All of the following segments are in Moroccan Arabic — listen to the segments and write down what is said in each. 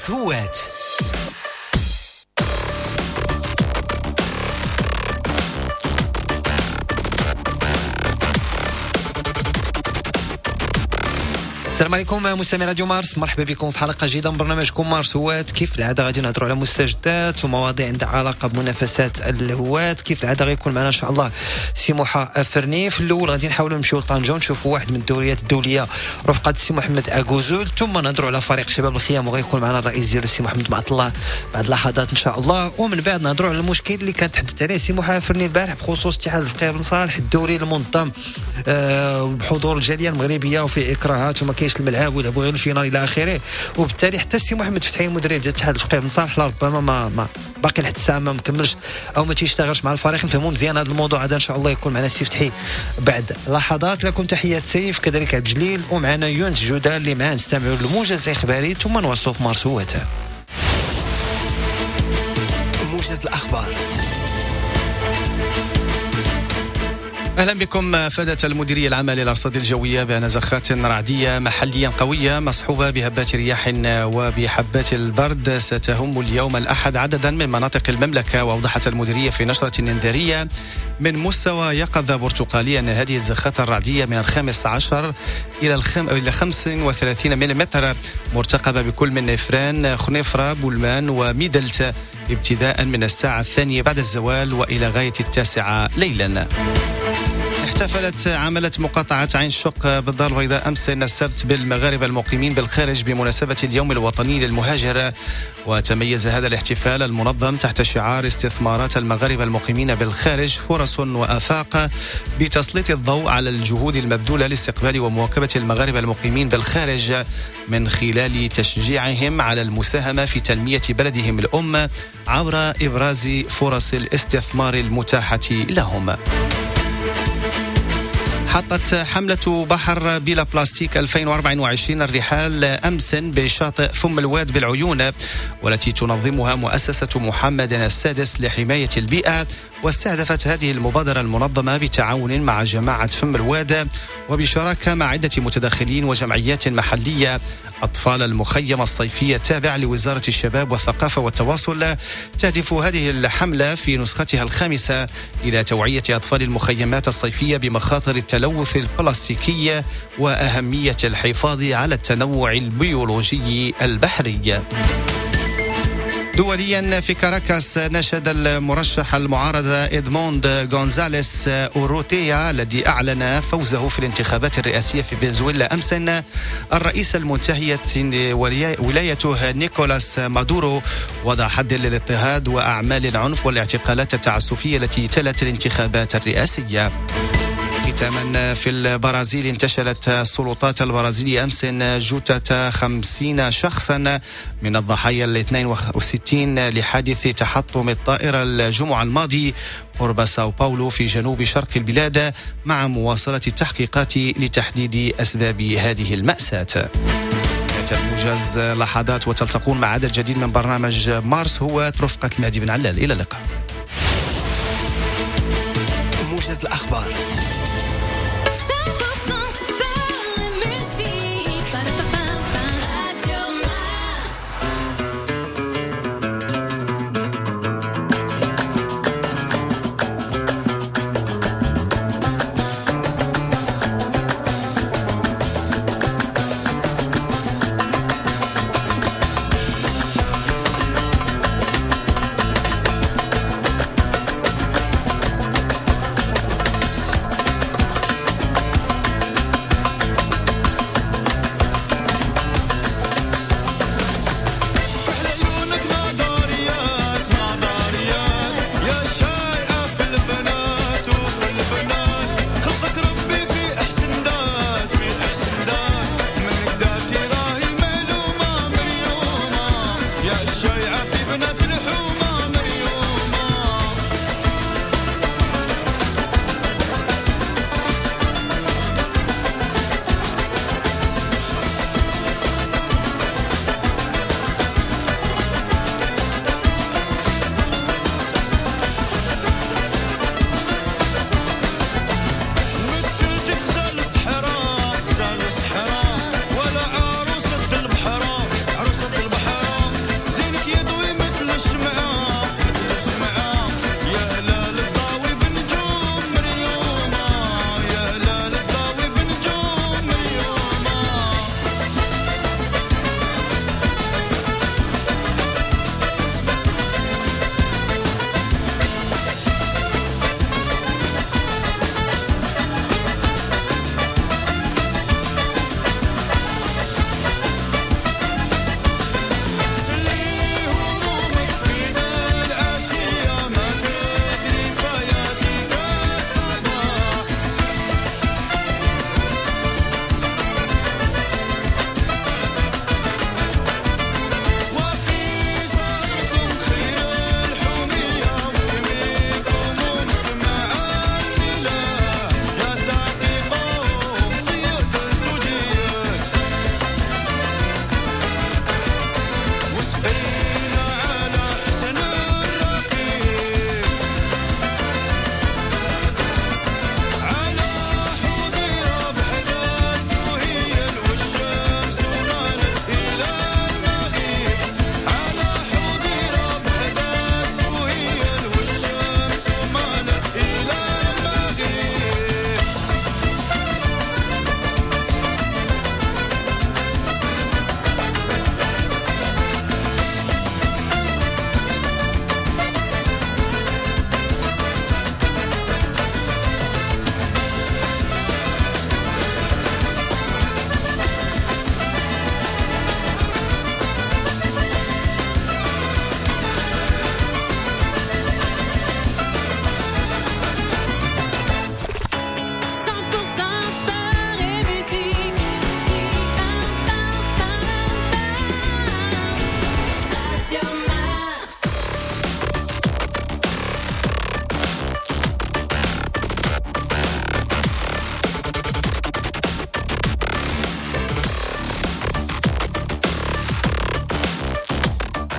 مارس هوات. السلام عليكم مستمعي راديو مارس، مرحبا بكم في حلقة جديدة من برنامجكم مارس هوات. كيف العادة غادي نهضروا على مستجدات ومواضيع عندها علاقة بمنافسات الهوات. كيف العادة غيكون معنا ان شاء الله سي موحى فرني. في الاول غادي نحاولوا نمشيو لطنجه ونشوفوا واحد من الدوريات الدولية رفقه سي محمد اكوزول، ثم نهضروا على فريق شباب الخيام وغيكون معنا الرئيس ديالو سي محمد معط الله بعد لحظات ان شاء الله. ومن بعد نهضروا على المشكل اللي كان تحدث عليه سي موحى فرني البارح بخصوص اتحاد الفقيه بن صالح الدوري المنظم بحضور الجالية المغربية وفي اكراهات وما كاينش الملعب ويلعبوا غير ال finale الى اخره. وبالتالي حتى السي محمد فتحي المدرب ديال الاتحاد الفقيه بن صالح ربما ما باقي لحد الساعة ما مكملش او ما تيشتغلش مع الفريق. نفهموا مزيان هذا الموضوع هذا ان شاء الله يكون معنا السي فتحي بعد لحظات. لكم تحيات سيف كذلك عبد الجليل ومعنا يونس جودة اللي معاه نستمعوا للموجز الاخباري ثم نواصلوا في مارس هوات. موجز الاخبار. أهلا بكم. أفادت المديرية العامة للأرصاد الجوية بأن زخات رعدية محليا قوية مصحوبة بهبات رياح وبحبات البرد ستهم اليوم الأحد عددا من مناطق المملكة. وأوضحت المديرية في نشرة إنذارية من مستوى يقظة برتقالية أن هذه الزخات الرعدية من 15 إلى 35 ملم مرتقبة بكل من إفران، خنيفرة، بولمان وميدلت ابتداء من الساعة 2 بعد الزوال وإلى غاية 9 ليلا. احتفلت عملة مقاطعة عين الشق بالدار البيضاء أمس السبت بالمغاربة المقيمين بالخارج بمناسبة اليوم الوطني للمهاجر. وتميز هذا الاحتفال المنظم تحت شعار استثمارات المغاربة المقيمين بالخارج فرص وآفاق بتسليط الضوء على الجهود المبذولة لاستقبال ومواكبة المغاربة المقيمين بالخارج من خلال تشجيعهم على المساهمة في تنمية بلدهم الأم عبر إبراز فرص الاستثمار المتاحة لهم. حطت حملة بحر بلا بلاستيك 2024 الرحال أمس بشاطئ فم الواد بالعيون، والتي تنظمها مؤسسة محمد السادس لحماية البيئة. واستهدفت هذه المبادرة المنظمة بتعاون مع جماعة فم الواد وبشراكة مع عدة متدخلين وجمعيات محلية أطفال المخيم الصيفية التابع لوزارة الشباب والثقافة والتواصل. تهدف هذه الحملة في نسختها الخامسة إلى توعية أطفال المخيمات الصيفية بمخاطر التلوث البلاستيكي وأهمية الحفاظ على التنوع البيولوجي البحري. دوليا في كاراكاس نشد المرشح المعارضة إدموند غونزاليس أوروتيا الذي أعلن فوزه في الانتخابات الرئاسية في فنزويلا أمس الرئيس المنتهية ولايته نيكولاس مادورو وضع حد للاضطهاد وأعمال العنف والاعتقالات التعسفية التي تلت الانتخابات الرئاسية. ختاما في البرازيل انتشلت السلطات البرازيلية أمس جثة 50 شخصا من الضحايا 62 لحادث تحطم الطائرة الجمعة الماضي قرب ساو باولو في جنوب شرق البلاد، مع مواصلة التحقيقات لتحديد أسباب هذه المأساة. موجز لحظات وتلتقون مع عدد جديد من برنامج مارس هو رفقة المهدي بن علال. إلى اللقاء. موجز الأخبار.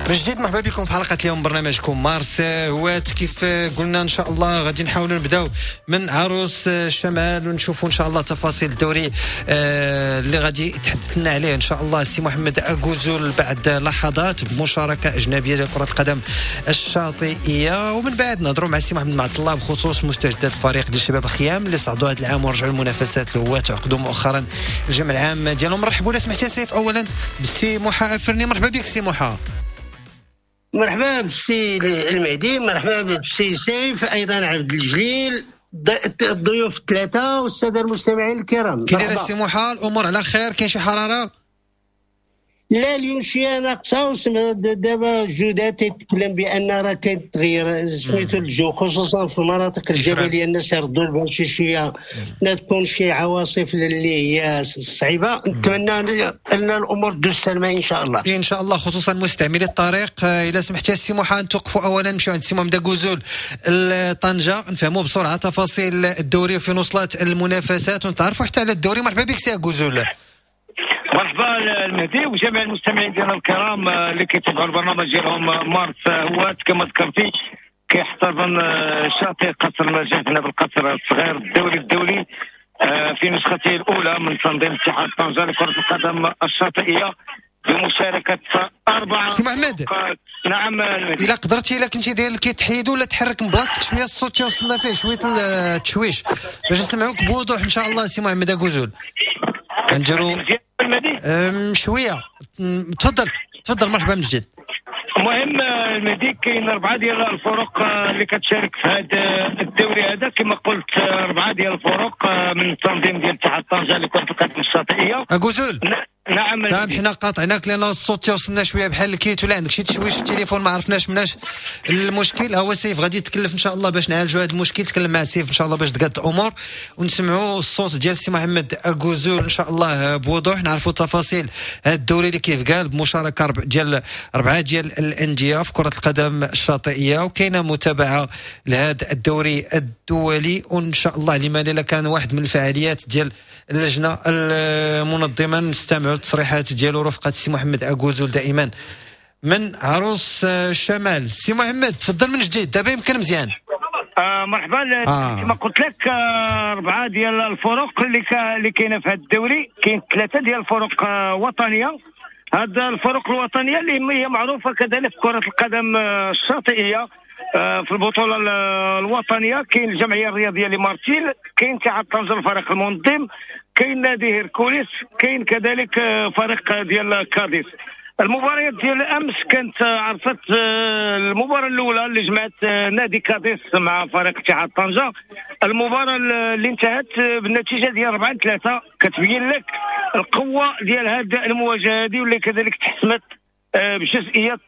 من جديد مرحبا بكم في حلقة اليوم برنامجكم مارس هوات. كيف قلنا ان شاء الله غادي نحاولوا نبداو من عروس الشمال ونشوفوا ان شاء الله تفاصيل الدوري اللي غادي يتحدث لنا عليه ان شاء الله السي محمد أكوزول بعد لحظات بمشاركة اجنبية ديال كره القدم الشاطئيه، ومن بعد نهضروا مع السي محمد معط الله بخصوص مستجدات الفريق ديال شباب الخيام اللي صعدوا هذا العام ورجعوا المنافسات الهوات وعقدوا مؤخرا الجمع العام ديالهم. نرحبوا لا سمحتي سيف اولا بالسي محا افرني. مرحبا بك سي محا. مرحبا بالسي المهدي، مرحبا بالسي سيف، ايضا عبد الجليل، الضيوف الثلاثة والسادة المستمعين الكرام. كي داير السي محا؟ الامور على خير؟ كاين شي حرارة؟ لا اليوم شوية ناقصه، دابا جودات تيتكلم بان راه كاين تغيير سميتو الجو، خصوصا في المناطق الجبلية الناس يردوا البال شي شوية، لا تكون شي عواصف اللي هي صعيبة. نتمنى ان الامور تدوز سلمى ان شاء الله. ان شاء الله، خصوصا مستعملي الطريق. الا سمحتي السي محا نتوقفوا اولا، نمشيو عند السي محمد أكوزول طنجه، نفهموا بسرعة تفاصيل الدوري وفين وصلت المنافسات ونتعرفوا حتى على الدوري. مرحبا بك سي أكوزول. مرحبا المهدي وجميع المستمعين ديالنا الكرام اللي كيتابعوا البرنامج ديالهم مارس هوات. كما ذكرتي كيحتضن شاطئ قصر المجاز هنا بالقصر الصغير الدوري الدولي في نسخته الاولى من تنظيم اتحاد طنجه لكرة القدم الشاطئيه بمشاركة اربعة. سي محمد، نعم المهدي، الا قدرتي، الا كنتي داير كيتحيدوا ولا تحرك من بلاصتك شوية، الصوت توصلنا فيه شوية التشويش باش نسمعوك بوضوح ان شاء الله. سي محمد أكوزول نديرو شوية. تفضل تفضل، مرحبا من جديد. المهم المهدي كاين اربعة ديال الفرق اللي كتشارك في هذا الدوري هذا، كما قلت اربعة ديال الفرق من التنظيم ديال اتحاد طنجه لكرة القدم الشاطئيه. أكوزول، نعم سامحنا قاطعناك لان الصوت توصلنا شوية بحال الكيت، ولا عندك شي تشويش في التليفون ما عرفناش مناش المشكل. هو سيف غادي يتكلف ان شاء الله باش نعالجوا هذا المشكل، تكلم مع سيف ان شاء الله باش تقاد الامور ونسمعوا الصوت ديال السي محمد أكوزول ان شاء الله بوضوح، نعرفوا تفاصيل هذا الدوري اللي كيف قال بمشاركة ديال اربعة ديال الاندية في كره القدم الشاطئيه، وكاينه متابعه لهذا الدوري الدولي. وان شاء الله لما لا كان واحد من الفعاليات ديال اللجنة المنظمة نستمعوا التصريحات ديالو رفقه السي محمد أكوزول دائما من عروس الشمال. سي محمد تفضل من جديد، دابا يمكن مزيان. مرحبا. كما قلت لك اربعة ديال الفرق اللي كاينه في هذا الدوري، كاين ثلاثة ديال الفرق وطنية. هاد الفرق الوطنية اللي هي معروفة كذلك في كره القدم الشاطئيه في البطولة الوطنية، كاين الجمعية الرياضية لمارتيل، كاين اتحاد طنجه الفريق المنظم، كاين نادي هيركوليس، كاين كذلك فريق ديال كاديس. المباريات ديال الامس كانت عرفت المباراة الاولى اللي جمعت نادي كاديس مع فريق اتحاد طنجه، المباراة اللي انتهت بالنتيجة ديال 4-3، كتبين لك القوة ديال هذه المواجهة هذه واللي كذلك تحسمت بجزئيات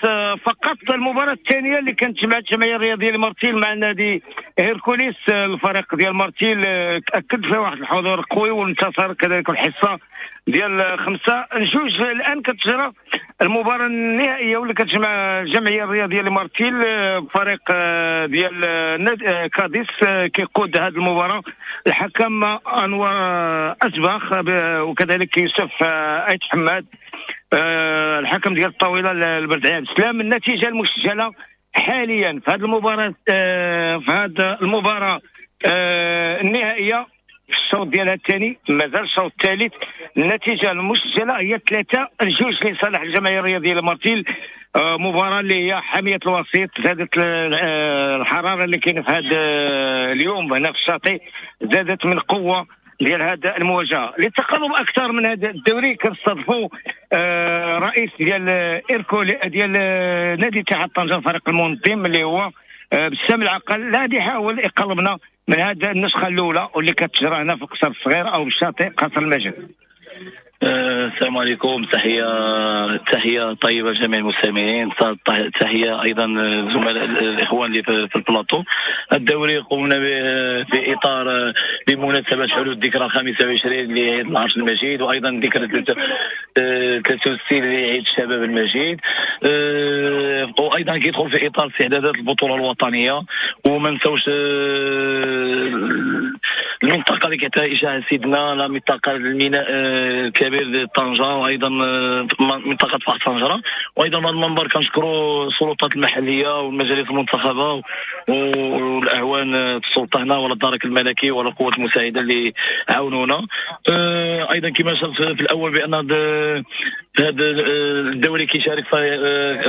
فقط. المباراة الثانية اللي كانت جمعت الجمعية الرياضية لمارتيل مع نادي هيركوليس، الفريق ديال مارتيل اكد فيه واحد الحضور قوي وانتصر كذلك الحصة ديال 5-2. الان كتجرى المباراة النهائية واللي كتجمع الجمعية الرياضية لمارتيل فريق ديال نادي كاديس. كيقود هذه المباراة الحكم انور ازبخ وكذلك يوسف ايت حماد الحكم ديال الطاولة البردعي عبد السلام. النتيجة المسجلة حاليا في هذه المباراة في هذه المباراة النهائية في الشوط ديالها الثاني، مازال الشوط الثالث، النتيجة المسجلة هي 3-2 لصالح الجمعية الرياضية لمارتيل. مباراة اللي هي حامية الوسيط، زادت الحرارة اللي كاينه في هذا اليوم هنا في الشاطئ، زادت من قوة ديال هذا المواجهة. للتقرب اكثر من هذا الدوري كنستضيفوا رئيس ديال إيركولي ديال نادي اتحاد طنجه الفريق المنظم اللي هو بسام العقل، الذي يحاول يقربنا من هذه النسخة الاولى واللي كتجرى هنا في القصر الصغير او بالشاطئ قصر المجد. السلام عليكم، تحية طيبة لجميع المستمعين، تحية ايضا زملاء الاخوان اللي في البلاطو. الدوري قمنا به في اطار بمناسبة حلول الذكرى 25 لعيد العرش المجيد، وايضا ذكرى 63 لعيد الشباب المجيد، وايضا كيدخل في اطار استعدادات البطولة الوطنية. وما نساوش المنطقة اللي كيعطيها اشاعة سيدنا، لا منطقة الميناء الكبير طنجه، وايضا منطقة فحص طنجره. وايضا من المنبر كنشكروا السلطات المحلية والمجالس المنتخبه والاعوان السلطة هنا ولا الدرك الملكي ولا القوات المساعدة اللي عاونونا. ايضا كما شرت في الاول بان هذا الدوري كيشارك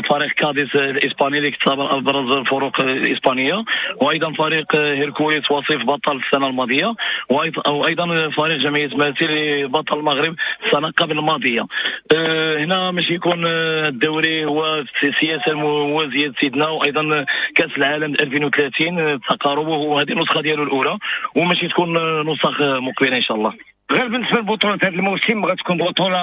فريق كاديس الاسباني اللي كتعتبر ابرز الفرق الاسبانية، وايضا فريق هيركوليس وصيف بطل السنة الماضية، وايضا فريق جمعية ماسي بطل المغرب السنة قبل الماضية. هنا ماشي يكون الدوري هو السياسة الموازيه سيدنا، وايضا كاس العالم 2030 تقاربه، وهذه النسخة ديالو الاولى وماشي تكون نسخ مقبله ان شاء الله. غير بالنسبة للبطولة هذا الموسم غتكون بطوله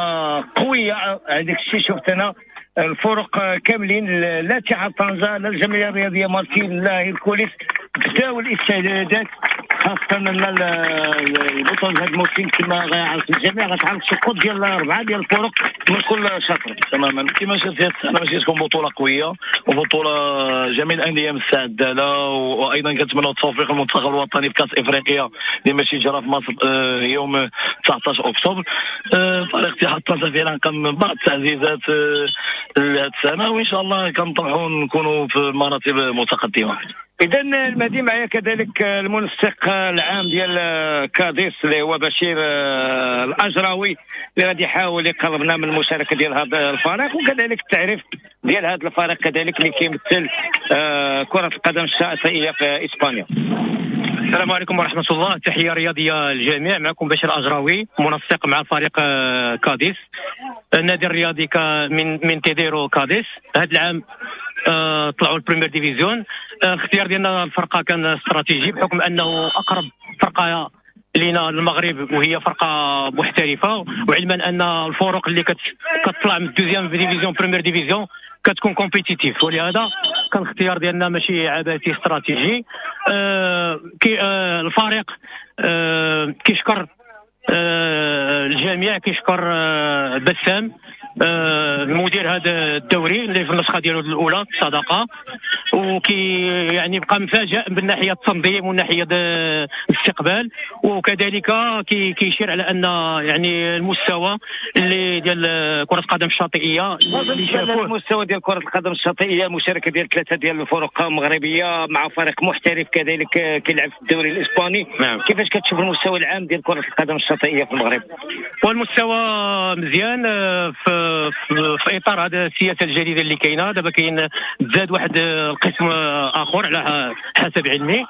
قوية، هذاك الشيء شفت انا الفرق كاملين، لا اتحاد طنجه لا الجمعية الرياضية مارتيل لا هيركوليس بداو الاستعدادات، خاصة ان البطولة هذا الموسم كما غيعرف الجميع غتعرف سقوط ديال 4 ديال الفرق من كل شطر. تماما كما شفت هذه السنة ماشي تكون بطوله قوية وبطولة جميع الاندية مستعدة لها، وايضا كنتمنوا التوفيق للمنتخب الوطني في كاس افريقيا اللي ماشي جرى في مصر يوم 19 اكتوبر. فريق اتحاد طنجه فعلا قام بعض التعزيزات هذه السنة، وان شاء الله كنطمحوا نكونوا في مراتب متقدمة. اذا المهدي معايا كذلك المنسق العام ديال كاديس اللي هو بشير الاجراوي اللي غادي يحاول يقربنا من المشاركة ديال هذا الفريق، وكذلك التعريف ديال هذا الفريق كذلك اللي كيمثل كره القدم الشاطئيه في اسبانيا. السلام عليكم ورحمة الله، تحية رياضية للجميع. معكم بشير الاجراوي منسق مع فريق كاديس، النادي الرياضي من تيديرو كاديس. هذا العام طلعوا ال première division. الاختيار ديالنا الفرقة كان استراتيجي بحكم انه اقرب فرقه لينا المغرب وهي فرقه محترفه، وعلما ان الفرق اللي كتطلع من deuxième division première division كتكون compétitive، ولهذا كان الاختيار ديالنا ماشي عبثي استراتيجي. الفريق كيشكر الجميع، كيشكر بسام المدير هذا الدوري اللي في النسخة ديالو الاولى الصداقة، وكي يعني بقى مفاجئ من ناحية التنظيم ومن ناحية الاستقبال، وكذلك كيشير على ان يعني المستوى اللي ديال كره القدم الشاطئيه اللي شافوه، المستوى ديال كره القدم الشاطئيه، مشاركة ديال 3 ديال الفرق مغربية مع فريق محترف كذلك كيلعب في الدوري الاسباني. نعم. كيفاش كتشوف المستوى العام ديال كره القدم الشاطئيه في المغرب؟ والمستوى مزيان في اطار هذه السياسة الجديدة اللي كاينه دابا، كاين تزاد واحد القسم اخر على حسب علمي،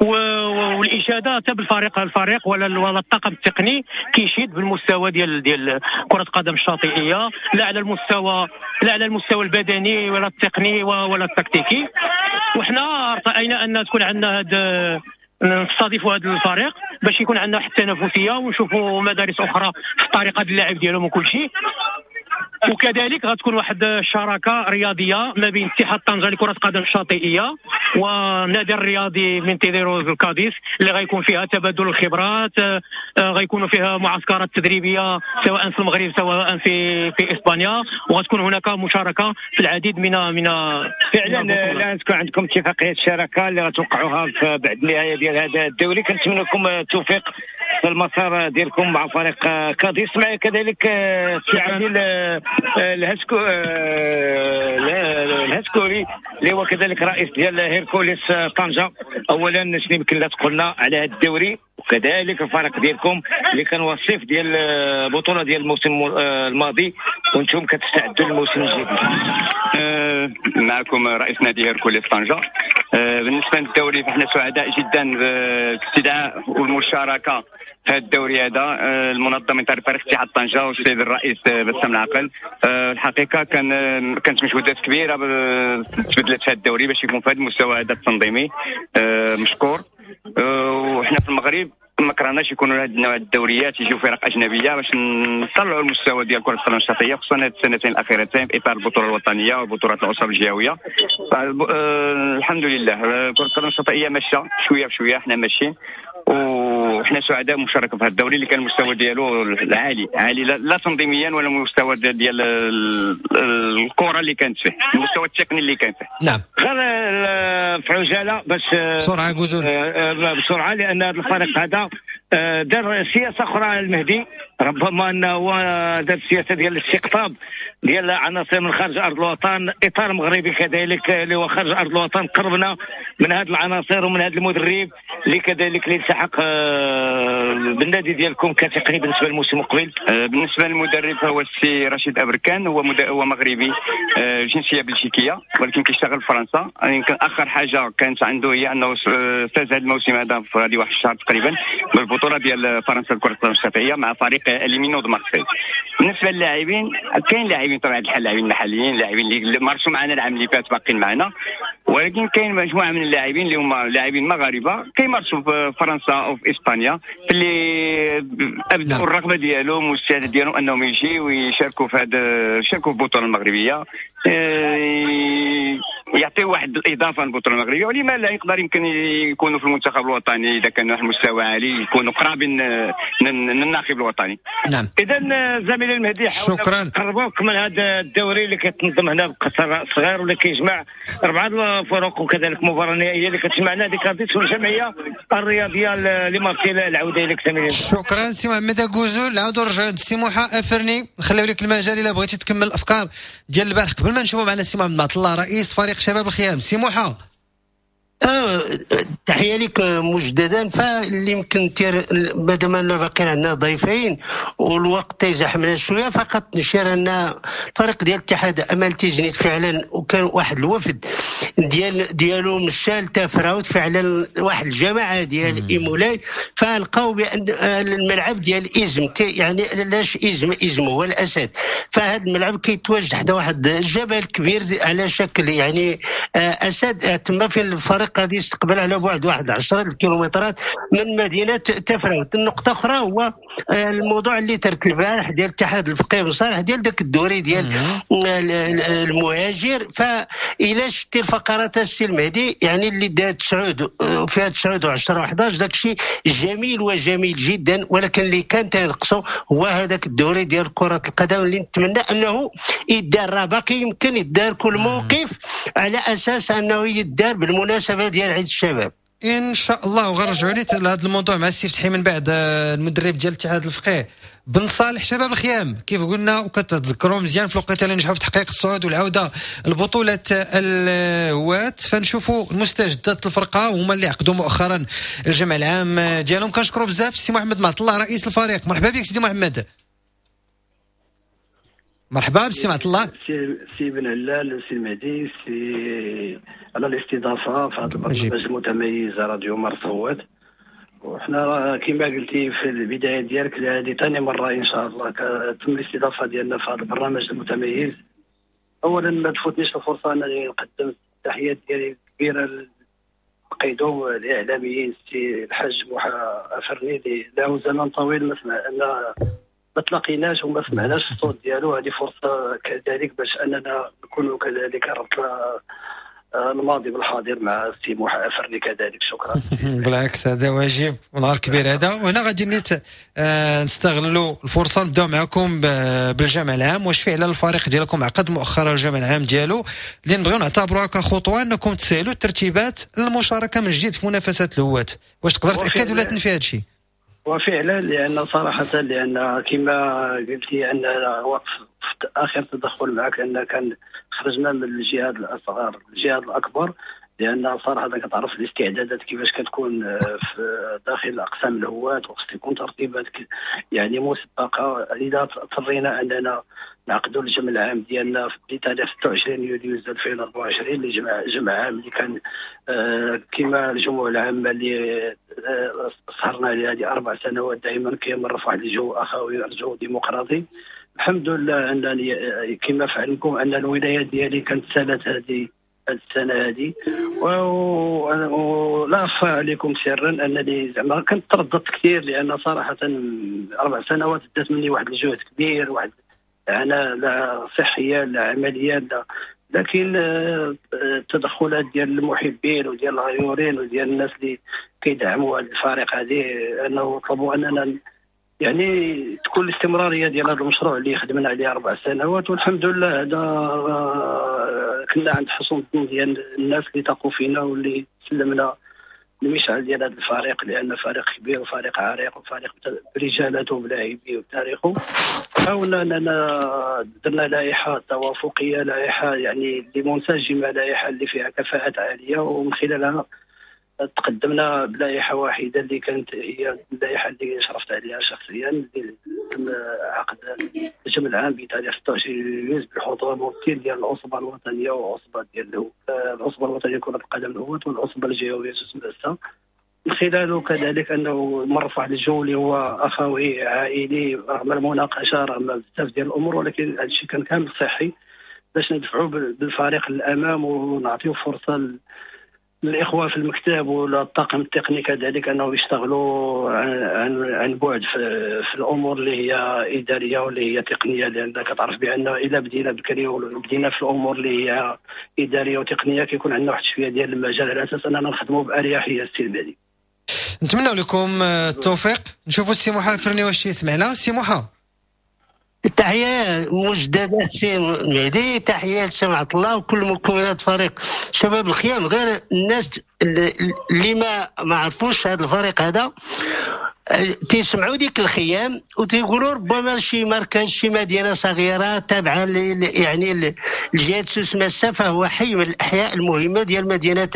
والاشاده حتى بالفريق الفريق ولا الطاقم التقني كيشيد بالمستوى ديال كره القدم الشاطئيه، لا على المستوى البدني ولا التقني ولا التكتيكي. وحنا ارتأينا ان تكون عندنا هذا، نستضيفوا هذا الفريق باش يكون عندنا حتى تنافسية ونشوفوا مدارس اخرى في طريقه اللعب ديالهم وكل شيء. وكذلك غتكون واحد الشراكة رياضية ما بين اتحاد طنجه لكرة القدم الشاطئيه والنادي الرياضي من تيديرو الكاديس، اللي غيكون فيها تبادل الخبرات، غيكونوا فيها معسكرات تدريبية سواء في المغرب سواء في اسبانيا، وغتكون هناك مشاركة في العديد من فعلا الان تكون عندكم اتفاقية شراكة اللي غتوقعوها بعد النهاية ديال هذا الدوري. كنتمنى لكم التوفيق في المسار ديالكم مع فريق كاديس. معي كذلك سي عادل الهسكوري اللي هو كذلك رئيس ديال هيركوليس طنجة. اولا شنو يمكن لا تقولنا على هذا الدوري وكذلك الفريق ديالكم اللي كان وصيف ديال البطولة ديال الموسم الماضي وانتم كتستعدوا للموسم الجديد؟ معكم رئيس نادي هيركوليس طنجة. بالنسبة للدوري فاحنا سعداء جدا بالاستدعاء والمشاركة في هذا الدوري هذا المنظم من طرف فريق اتحاد طنجه والسيد الرئيس بسام العقل. الحقيقة كانت مجهودات كبيرة تبذلت في هذا الدوري باش يكون في هذا المستوى هذا التنظيمي مشكور. وحنا في المغرب ما كرهناش يكونوا هذا النوع الدوريات يجيو فرق اجنبية باش نطلعوا المستوى ديال كره القدم الشاطئيه، خصوصا هذه السنتين الاخيرتين في اطار البطولة الوطنية وبطولات العصب الجهوية. الحمد لله كره القدم الشاطئيه ماشية شوية بشوية، حنا ماشيين وحنا سعداء مشاركة في هذا الدوري اللي كان المستوى ديالو عالي عالي، لا تنظيميا ولا المستوى ديال الكره اللي كانت فيه، المستوى التقني اللي كان فيه. نعم غير في عجالة باش بسرعة جوزول بسرعة، لان هذا الفريق هذا دار سياسة اخرى المهدي، ربما انه هو دار السياسة ديال الاستقطاب ديال عناصر من خارج ارض الوطن، اطار مغربي كذلك اللي هو خارج ارض الوطن. قربنا من هذه العناصر ومن هذا المدرب اللي كذلك اللي التحق بالنادي ديالكم كتقني بالنسبة للموسم المقبل. بالنسبة للمدرب هو السي رشيد ابركان، هو مغربي، جنسية بلجيكيه، ولكن كيشتغل في فرنسا. يمكن اخر حاجة كانت عنده هي انه فاز هذا الموسم هذا في هذه واحد الشهر تقريبا بالبطولة ديال فرنسا لكرة القدم الشاطئيه مع فريق les Minots de Marseille. بالنسبة للاعبين، كاين لاعبين طبعا الحال، لاعبين محليين، لاعبين اللي مارسوا معنا العام اللي فات باقيين معنا، ولكن كاين مجموعة من اللاعبين اللي هما لاعبين مغاربة كيمارسوا في فرنسا او في اسبانيا، اللي ابدوا الرغبة ديالهم والاستعداد ديالهم انهم يجيو ويشاركوا في هذا، يشاركوا في البطولة المغربية، يعطيو واحد الاضافة للبطولة المغربية، ولما لا يقدر يمكن يكونوا في المنتخب الوطني اذا كانوا واحد المستوى عالي، يكونوا قرابين من الناخب الوطني. نعم. اذا زميلي المهدي، شكرا. قربوك من هذا الدوري اللي كيتنظم هنا بقصر صغير واللي كيجمع اربعة الفرق، وكذلك مباراة نهائية اللي كتجمع نادي كارديس والجمعية الرياضية لمارسيل. العودة اليك زميلي. شكرا سي محمد أكوزول. نعاودوا نرجعوا عند سي موحى افرني، نخليو لك المجال الا بغيتي تكمل الافكار ديال البارح قبل ما نشوفوا معنا سي محمد معط الله رئيس فريق شباب الخيام. سي موحى، تحية لك مجددا. فاللي يمكن مادام أن باقيين عندنا ضيفين والوقت تيزحمنا شوية، فقط نشير ان الفريق ديال الاتحاد امل تيزنيت فعلا، وكان واحد الوفد ديالو مشى لتافراوت فعلا، واحد الجماعة ديال ايمولاي، فلقاو بان الملعب ديال ازم، يعني علاش ازم؟ ازم هو الاسد، فهذا الملعب كيتواجد حدا واحد الجبل كبير على شكل يعني اسد. تما في الفريق غادي يستقبل على بعد واحد 10 الكيلومترات من مدينة تفراوت. النقطة اخرى هو الموضوع اللي ترت البارح ديال اتحاد الفقيه بن صالح ديال داك الدوري ديال المهاجر. فإلا شتي الفقرات السي المهدي، يعني اللي دار 9 فيها 9 و10 و11، داك الشيء جميل وجميل جدا، ولكن اللي كان تنقصو هو هذاك الدوري ديال كره القدم اللي نتمنى انه يدار. راه باقي يمكن يدار كل موقف على اساس انه يدار بالمناسبة ديال عيد الشباب ان شاء الله. وغنرجعوا لي لهذا الموضوع مع السي فتحي من بعد، المدرب ديال الاتحاد الفقيه بن صالح شباب الخيام. كيف قلنا وكتذكروا مزيان في الوقيته اللي نجحوا في تحقيق الصعود والعودة لبطولة الهواة، فنشوفوا المستجدات الفرقة وهما اللي عقدوا مؤخرا الجمع العام ديالهم. كنشكروا بزاف السي محمد معط الله رئيس الفريق. مرحبا بك سيدي محمد. مرحبا بالسي معط الله. سي بن علال، سي المهدي، سي على الاستضافة في هذا البرنامج المتميز راديو مارس هوات. وحنا كما قلتي في البداية ديالك، هذه ثاني مرة ان شاء الله تم الاستضافة ديالنا في هذا البرنامج المتميز. اولا ما تفوتنيش الفرصة انني نقدم التحيات ديالي الكبيرة للقيدوم الاعلاميين السي الحاج موحى افرني اللي له زمن طويل ما سمعنا، ما تلاقيناش وما سمعناش الصوت ديالو. هذه فرصة كذلك باش اننا نكونوا كذلك ربطنا الماضي بالحاضر مع السي موحى افرني كذلك. شكرا. بالعكس هذا واجب ونهار كبير هذا. وهنا غادي نستغلوا الفرصة نبداو معكم بالجمع العام. واش فعلا الفريق ديالكم عقد مؤخرا الجمع العام ديالو اللي نبغيو نعتبروها كخطوه انكم تسهلوا الترتيبات المشاركة من جديد في منافسات الهواة؟ واش تقدر تاكد ولا تنفي هذا الشيء؟ وفعلا، لان صراحة لان كما قلتي ان وقف في اخر تدخل معك ان كان خرجنا من الجهاد الاصغر للجهاد الاكبر، لان صراحة كتعرف الاستعدادات كيفاش كتكون في داخل اقسام الهواة، وخص يكون ترتيبات يعني مسبقة. لذا اضطرينا اننا نعقدوا الجمع العام ديالنا بتاريخ 26 يوليوز 2024، اللي جمع عام اللي كان كما الجموع العامة اللي سهرنا عليها هذه 4 سنوات دائما كيمر في واحد الجو اخوي، جو ديمقراطي. الحمد لله انني كما في علمكم ان الولاية ديالي كانت سالت هذه السنة هذه، ولا اخفى عليكم سرا انني زعما كنت ترددت كثير، لان صراحة 4 سنوات دات مني واحد الجهد كبير، واحد انا لا صحية لا عملية لا، لكن التدخلات ديال المحبين وديال الغيورين وديال الناس اللي كيدعموا هذا الفريق هذه انه طلبوا اننا يعني تكون الاستمرارية ديال هذا المشروع اللي خدمنا عليه 4 سنوات، والحمد لله هذا كنا عند حسن الظن ديال الناس اللي تقوا فينا واللي سلمنا المشعل ديال هذا الفريق، لان فريق كبير وفريق عريق وفريق برجالاته وبلاعبيه وتاريخه. حاولنا اننا درنا لائحة توافقيه، لائحة يعني اللي منسجمه، لائحة اللي فيها كفاءات عالية، ومن خلالها تقدمنا بلائحه واحدة اللي كانت هي اللائحة اللي شرفت عليها شخصيا، اللي تم عقد الجمع العام بتاريخ 26 يوليوز بحضور ممثل ديال العصبة الوطنية وعصبه ديال العصبة الوطنية كره القدم الهواة والعصبه الجهوية سوس ماسة. من خلاله كذلك انه مر في واحد الجو اللي هو اخوي عائلي، رغم المناقشة رغم بزاف ديال الامور، ولكن هذا الشيء كان كامل صحي باش ندفعوا بالفريق للامام ونعطيو فرصة الاخوة في المكتب ولا الطاقم التقني كذلك انه يشتغلوا عن بعد في الامور اللي هي ادارية واللي هي تقنية، لان كتعرف بان الا بدينا بكري وبدينا في الامور اللي هي ادارية وتقنية كيكون عندنا واحد شوية ديال المجال على اساس اننا نخدموا باريحية. السي المهدي نتمنى لكم التوفيق. نشوفوا السي موحى الفرني واش يسمعنا. سي موحى تحية مجدده السي المهدي، تحية لسي عبد الله وكل مكونات فريق شباب الخيام. غير الناس اللي ما عرفوش هذا الفريق هذا تيسمعوا ديك الخيام وتيقولوا ربما شي مركز شي مدينة صغيرة تابعه يعني لجهة سوس ماسة، فهو حي من الاحياء المهمة ديال مدينة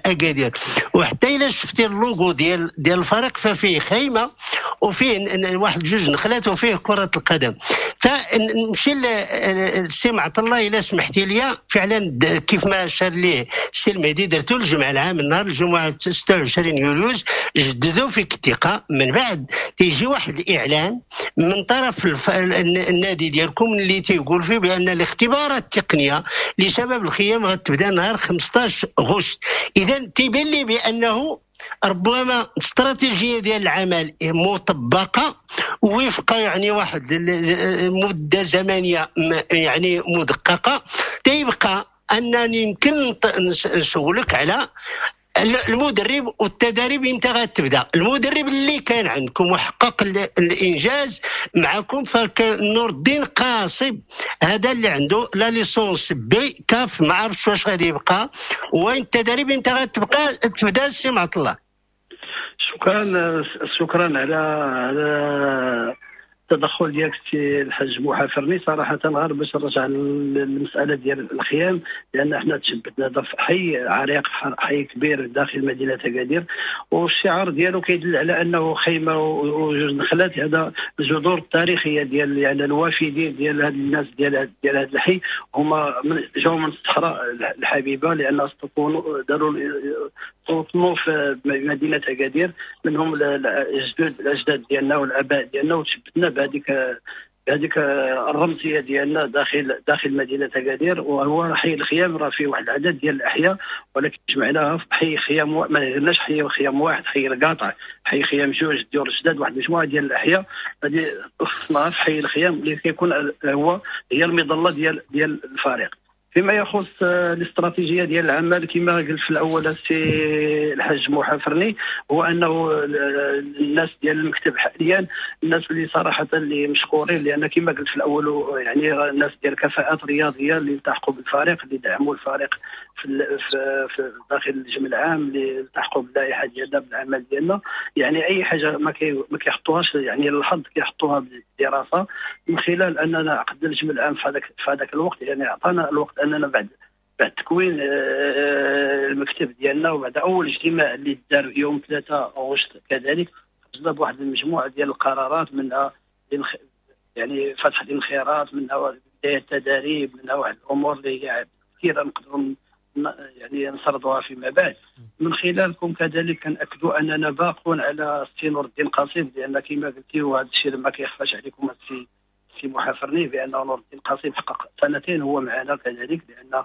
اكادير. وحتى الا شفتي اللوغو ديال الفريق ففيه خيمة وفيه واحد جوج نخلات وفيه كره القدم. فنمشي للسي معط الله الا سمحتي لي، فعلا كيف ما اشار ليه السي المهدي درتو الجمع العام نهار الجمعة 26 يوليوز، جددوا فيك الثقة. من بعد تيجي واحد الاعلان من طرف النادي ديالكم اللي تيقول فيه بان الاختبارات التقنية لشباب الخيام غتبدا نهار 15 غشت. اذا تيبان لي بانه ربما استراتيجية ديال العمل مطبقه وفق يعني واحد مده زمنية يعني مدققه. تيبقى انني يمكن نسولك على المدرب والتدريب امتى غتبدا. المدرب اللي كان عندكم وحقق الانجاز معكم فنور الدين قاصب، هذا اللي عنده la licence B CAF، ما عرفتش واش غادي يبقى. وين التدريب امتى غتبقى تبدا السي معط الله؟ شكرا على التدخل ديالك السي الحاج موحى فرني. صراحة غير باش نرجع للمسالة ديال الخيام، لان حنا تشبتنا في حي عريق، حي كبير داخل مدينة اكادير، والشعار ديالو كيدل على انه خيمة وجوج نخلات. هذا الجذور التاريخية ديال يعني الوافدين ديال هاد الناس ديال هذا الحي، هما جاوا من الصحراء الحبيبة، لان استوطنوا داروا استوطنوا في مدينة اكادير، منهم الاجداد ديالنا والاباء ديالنا، وتشبتنا بهذيك الرمزية ديالنا داخل مدينة اكادير. وهو حي الخيام راه فيه واحد العدد ديال الاحياء، ولكن جمعناها في حي خيام، ما درناش حي خيام واحد، حي القاطع، حي خيام جوج، ديور الجداد، واحد المجموعة ديال الاحياء هذه خصناها في حي الخيام اللي كيكون هو هي المظلة ديال الفريق. فيما يخص الاستراتيجية ديال العمل كما قلت في الاول السي الحاج موحى فرني، هو انه الناس ديال المكتب حاليا الناس اللي صراحة اللي مشكورين، لان كما قلت في الاول يعني الناس ديال كفاءات رياضية اللي التحقوا بالفريق، اللي دعموا الفريق في داخل الجمع العام، اللي التحقوا باللائحه ديالنا بالعمل ديالنا. يعني اي حاجة ما كيحطوهاش يعني للحظ، كيحطوها بالدراسة. من خلال اننا عقدنا الجمع العام في هذاك الوقت، يعني اعطانا الوقت اننا بعد تكوين المكتب ديالنا وبعد اول اجتماع اللي دار يوم 3 غشت كذلك، خرجنا بواحد المجموعة ديال القرارات، منها يعني فتح الانخراط، منها بداية التدريب، منها واحد الامور اللي هي كثيرة نقدروا يعني نسردوها فيما بعد. من خلالكم كذلك كنأكدوا اننا باقون على السي نور الدين قصيب، لان كما قلتي وهذا الشيء ما كيخفاش عليكم السي موحى فرني بان نور الدين قصيب حقق سنتين هو معنا كذلك، لان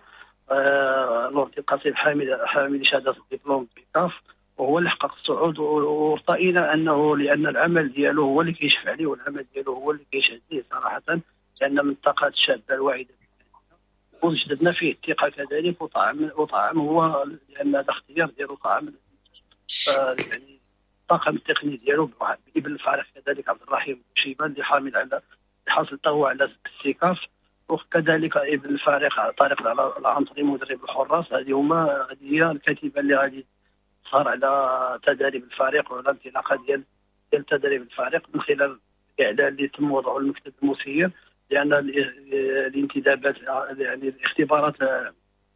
نور الدين قصيب حامل شهادة الدبلوم B CAF، وهو اللي حقق الصعود. وارتئينا انه لان العمل ديالو هو اللي كيشفع عليه، والعمل ديالو هو اللي كيشهد ليه صراحة، لان من الطاقات الشابة الواعدة وجددنا فيه الثقة كذلك، وطعم هو لان هذا اختيار ديالو، طعم يعني الطاقم التقني ديالو بابن الفريق كذلك عبد الرحيم شيبان اللي حامل على حاصل هو على ال C CAF، وكذلك ابن الفريق طارق العنصري مدرب الحراس. هذه هي الكتيبة اللي غادي غتظهر على تدريب الفريق وعلى الانطلاقة ديال تدريب الفريق من خلال الاعلان اللي تم وضعه المكتب المسير، لان الانتدابات يعني الاختبارات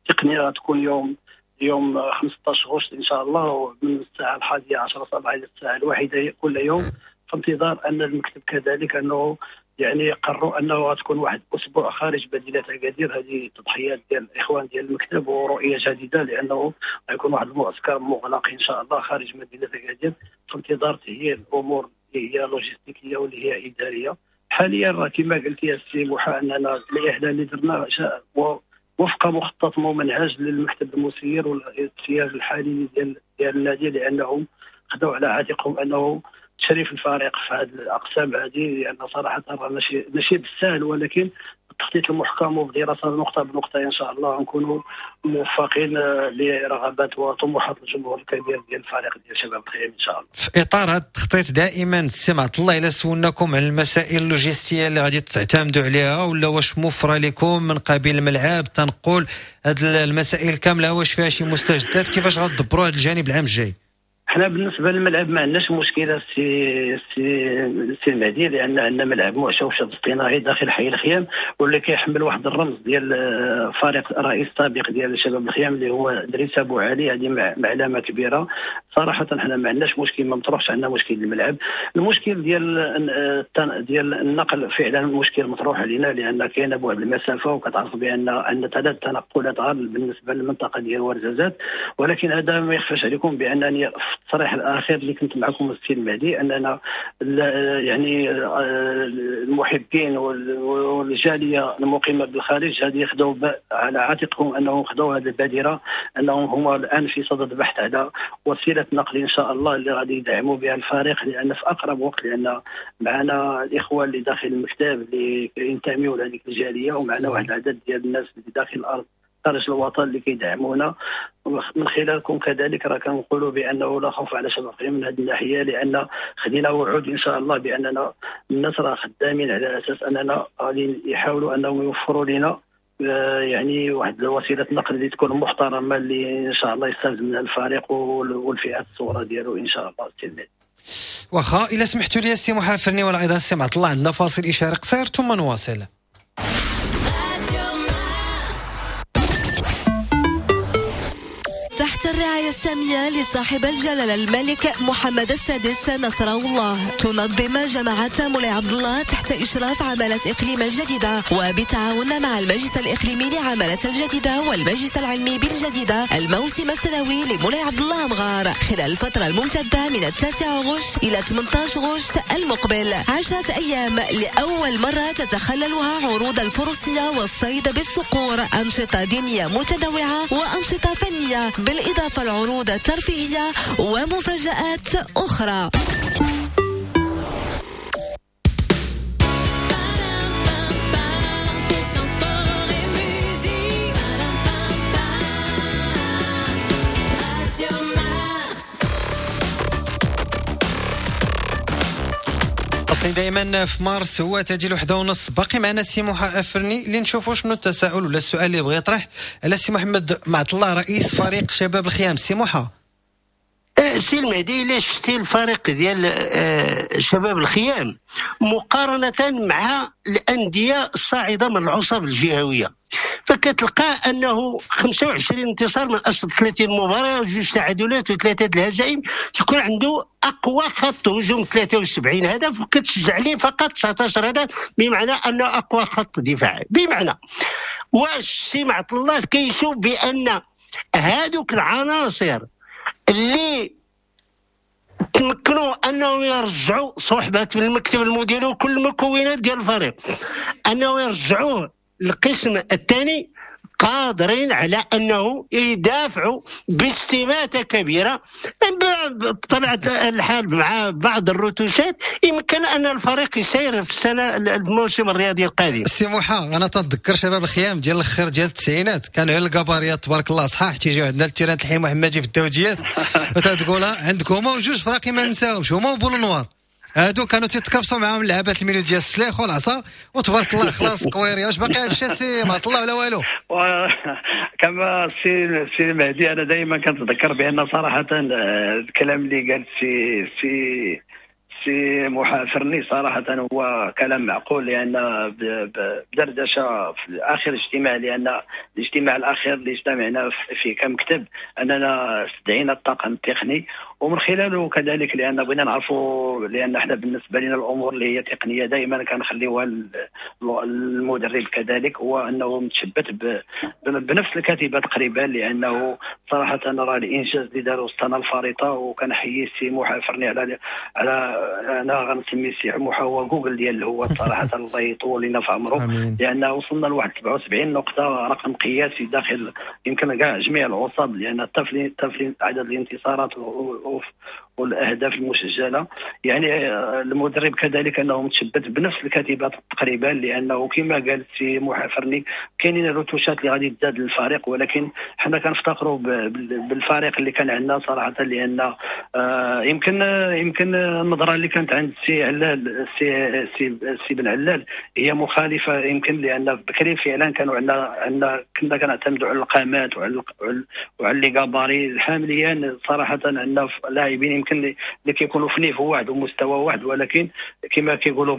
التقنية غتكون يوم 15 غشت ان شاء الله من الساعة 11 صباحا الى الساعة 1 كل يوم، في انتظار ان المكتب كذلك انه يعني قرروا انه غتكون واحد اسبوع خارج مدينة اكادير. هذه تضحيات ديال الاخوان ديال المكتب ورؤية جديدة، لانه غيكون واحد المعسكر مغلق ان شاء الله خارج مدينة اكادير في انتظار تهيئ الامور اللي هي لوجستيكيه واللي هي ادارية. حاليا راه كما قلت يا السي موحى اننا الاعلان اللي درنا وفق مخطط ممنهج للمكتب المسير والتسيير الحالي ديال النادي، لانهم خدوا على عاتقهم انه تشريف الفريق في هذه الاقسام هذه، لان صراحة راه ماشي بالسهل، ولكن التخطيط المحكم وبدراسه نقطة بنقطة ان شاء الله نكونوا موفقين لرغبات وطموحات الجمهور الكبير ديال الفريق ديال شباب الخيام ان شاء الله. في اطار هذا التخطيط دائما السي عبد الله، الا سولناكم على المسائل اللوجستية اللي غادي تعتمدوا عليها ولا واش موفره لكم من قبيل الملعب، تنقل، هذه المسائل كاملة واش فيها شي مستجدات، كيفاش غتدبروا هذا الجانب العام الجاي؟ حنا بالنسبة للملعب ما عندناش مشكلة سي المهدي، لان عندنا ملعب معشوش اصطناعي داخل حي الخيام، واللي كيحمل واحد الرمز ديال فريق رئيس سابق ديال شباب الخيام اللي هو دريس ابو علي، هذه معلمه كبيرة. صراحة حنا ما عندناش مشكل، ما مطروحش عندنا مشكل الملعب. المشكل ديال النقل فعلا مشكل مطروح علينا، لان كاين بعد المسافة، وكتعرف بان عندنا 3 تنقلات غير بالنسبة للمنطقة ديال ورزازات. ولكن هذا ما يخفاش عليكم بانني في التصريح الاخير اللي كنت معكم السي المهدي اننا يعني المحبين والجاليه المقيمه بالخارج هذه خدوا على عاتقهم انهم خدوا هذه البادرة، انهم هما الان في صدد بحث على وسيلة نقل ان شاء الله اللي غادي يدعموا بها الفريق، لان في اقرب وقت، لان معنا الاخوة اللي داخل المكتب اللي ينتميوا لهذيك الجالية، ومعنا واحد العدد ديال الناس اللي داخل الارض خارج الوطن اللي كيدعمونا. من خلالكم كذلك راه كنقولوا بانه لا خوف على شباب الخيام من هذه الناحية، لان خدينا وعود ان شاء الله باننا الناس راه خدامين على اساس اننا غادي يحاولوا انهم يوفروا لنا يعني واحد وسيلة نقل اللي تكون محترمه، اللي ان شاء الله يستافد منها الفريق والفئات الصغرى ديالو ان شاء الله. السي واخا الا سمحتوا لي السي محافرني ولا ايضا السي عبد الله، عندنا فاصل اشاري قصير ثم نواصل. تحت الرعاية السامية لصاحب الجلالة الملك محمد السادس نصره الله، تنظم جماعة مولاي عبد الله تحت إشراف عمالة إقليم الجديدة وبتعاون مع المجلس الإقليمي لعمالة الجديدة والمجلس العلمي بالجديدة الموسم السنوي لمولاي عبد الله أمغار خلال الفترة الممتدة من 9 غشت إلى 18 غشت المقبل. 10 أيام لأول مرة تتخللها عروض الفروسية والصيد بالصقور، أنشطة دينية متنوعة وأنشطة فنية، بالإضافة لعروض ترفيهية ومفاجآت أخرى. دائما في مارس هو تاجي 1:30. باقي معنا سي موحى افرني اللي نشوفوا شنو التساؤل ولا السؤال اللي بغى يطرح على سي محمد معط الله رئيس فريق شباب الخيام. سي موحى. سي المهدي، الا شفتي الفريق ديال شباب الخيام مقارنة مع الاندية الصاعدة من العصب الجهوية، فكتلقى انه 25 انتصار من اصل 30 مباراة، 2 تعادلات و3 الهزائم، تكون عنده اقوى خط هجوم 73 هدف، وكتسجل عليه فقط 19 هدف، بمعنى انه اقوى خط دفاعي. بمعنى واش سي معط الله كيشوف بان هادوك العناصر اللي تمكنوا انهم يرجعوا صحبه المكتب المديري وكل المكونات ديال الفريق انه يرجعوه القسم الثاني، قادرين على انه يدافعوا باستماته كبيرة. بطبيعة الحال مع بعض الرتوشات يمكن ان الفريق يسير في السنة الموسم الرياضي القادم. سي موحى، انا تنتذكر شباب الخيام ديال الاخر ديال التسعينات كانوا على الكباريات تبارك الله صحاح، تيجيو عندنا ال terrain الحي المحمدي في الدوجيات وتتقول عندكم هما وجوج فراقي ما نساوش، هما وبولو نوار. هادو كانوا تيتكرفسوا معاهم لعابات ال milieu ديال السليخ والعصا وتبارك الله خلاص كويري. واش باقي هادشي سي معط الله ولا والو؟ كما سي المهدي، انا دائما كنتذكر بان صراحة الكلام اللي قال سي سي محافرني صراحة هو كلام معقول، لأن بدردشة في آخر اجتماع، لأن الاجتماع الأخير اللي اجتمعنا فيه كمكتب أننا استدعينا الطاقم التقني، ومن خلاله كذلك لأن بغينا نعرفوا، لأن احنا بالنسبة لنا الأمور اللي هي تقنية دائما كنخليوها المدرب كذلك، هو أنه متشبت بنفس الكتيبة تقريبا، لأنه صراحة راه الإنجاز اللي داروا السنة الفارطة. وكنحيي السي محافرني على انا غنسمي سي موحى هو جوجل ديال هو صراحة الله يطول لنا في عمره، لان وصلنا لواحد 77 نقطة، رقم قياسي داخل يمكن كاع جميع العصب، لان التفلين عدد الانتصارات والاهداف المسجلة. يعني المدرب كذلك انه متشبت بنفس الكتيبات تقريبا، لانه كما قال السي محافرني كاينين الروتوشات اللي غادي تزاد للفريق، ولكن حنا كنفتخروا بالفريق اللي كان عندنا صراحة، لان يمكن النظرة اللي كانت عند السي علال سي بن علال هي مخالفة يمكن، لان بكري فعلا كانوا عندنا كنا كنعتمدوا على القامات وعلى les gabarits. حاليا صراحة عندنا لاعبين يمكن اللي كيكونوا في niveau واحد ومستوى واحد، ولكن كما كيقولوا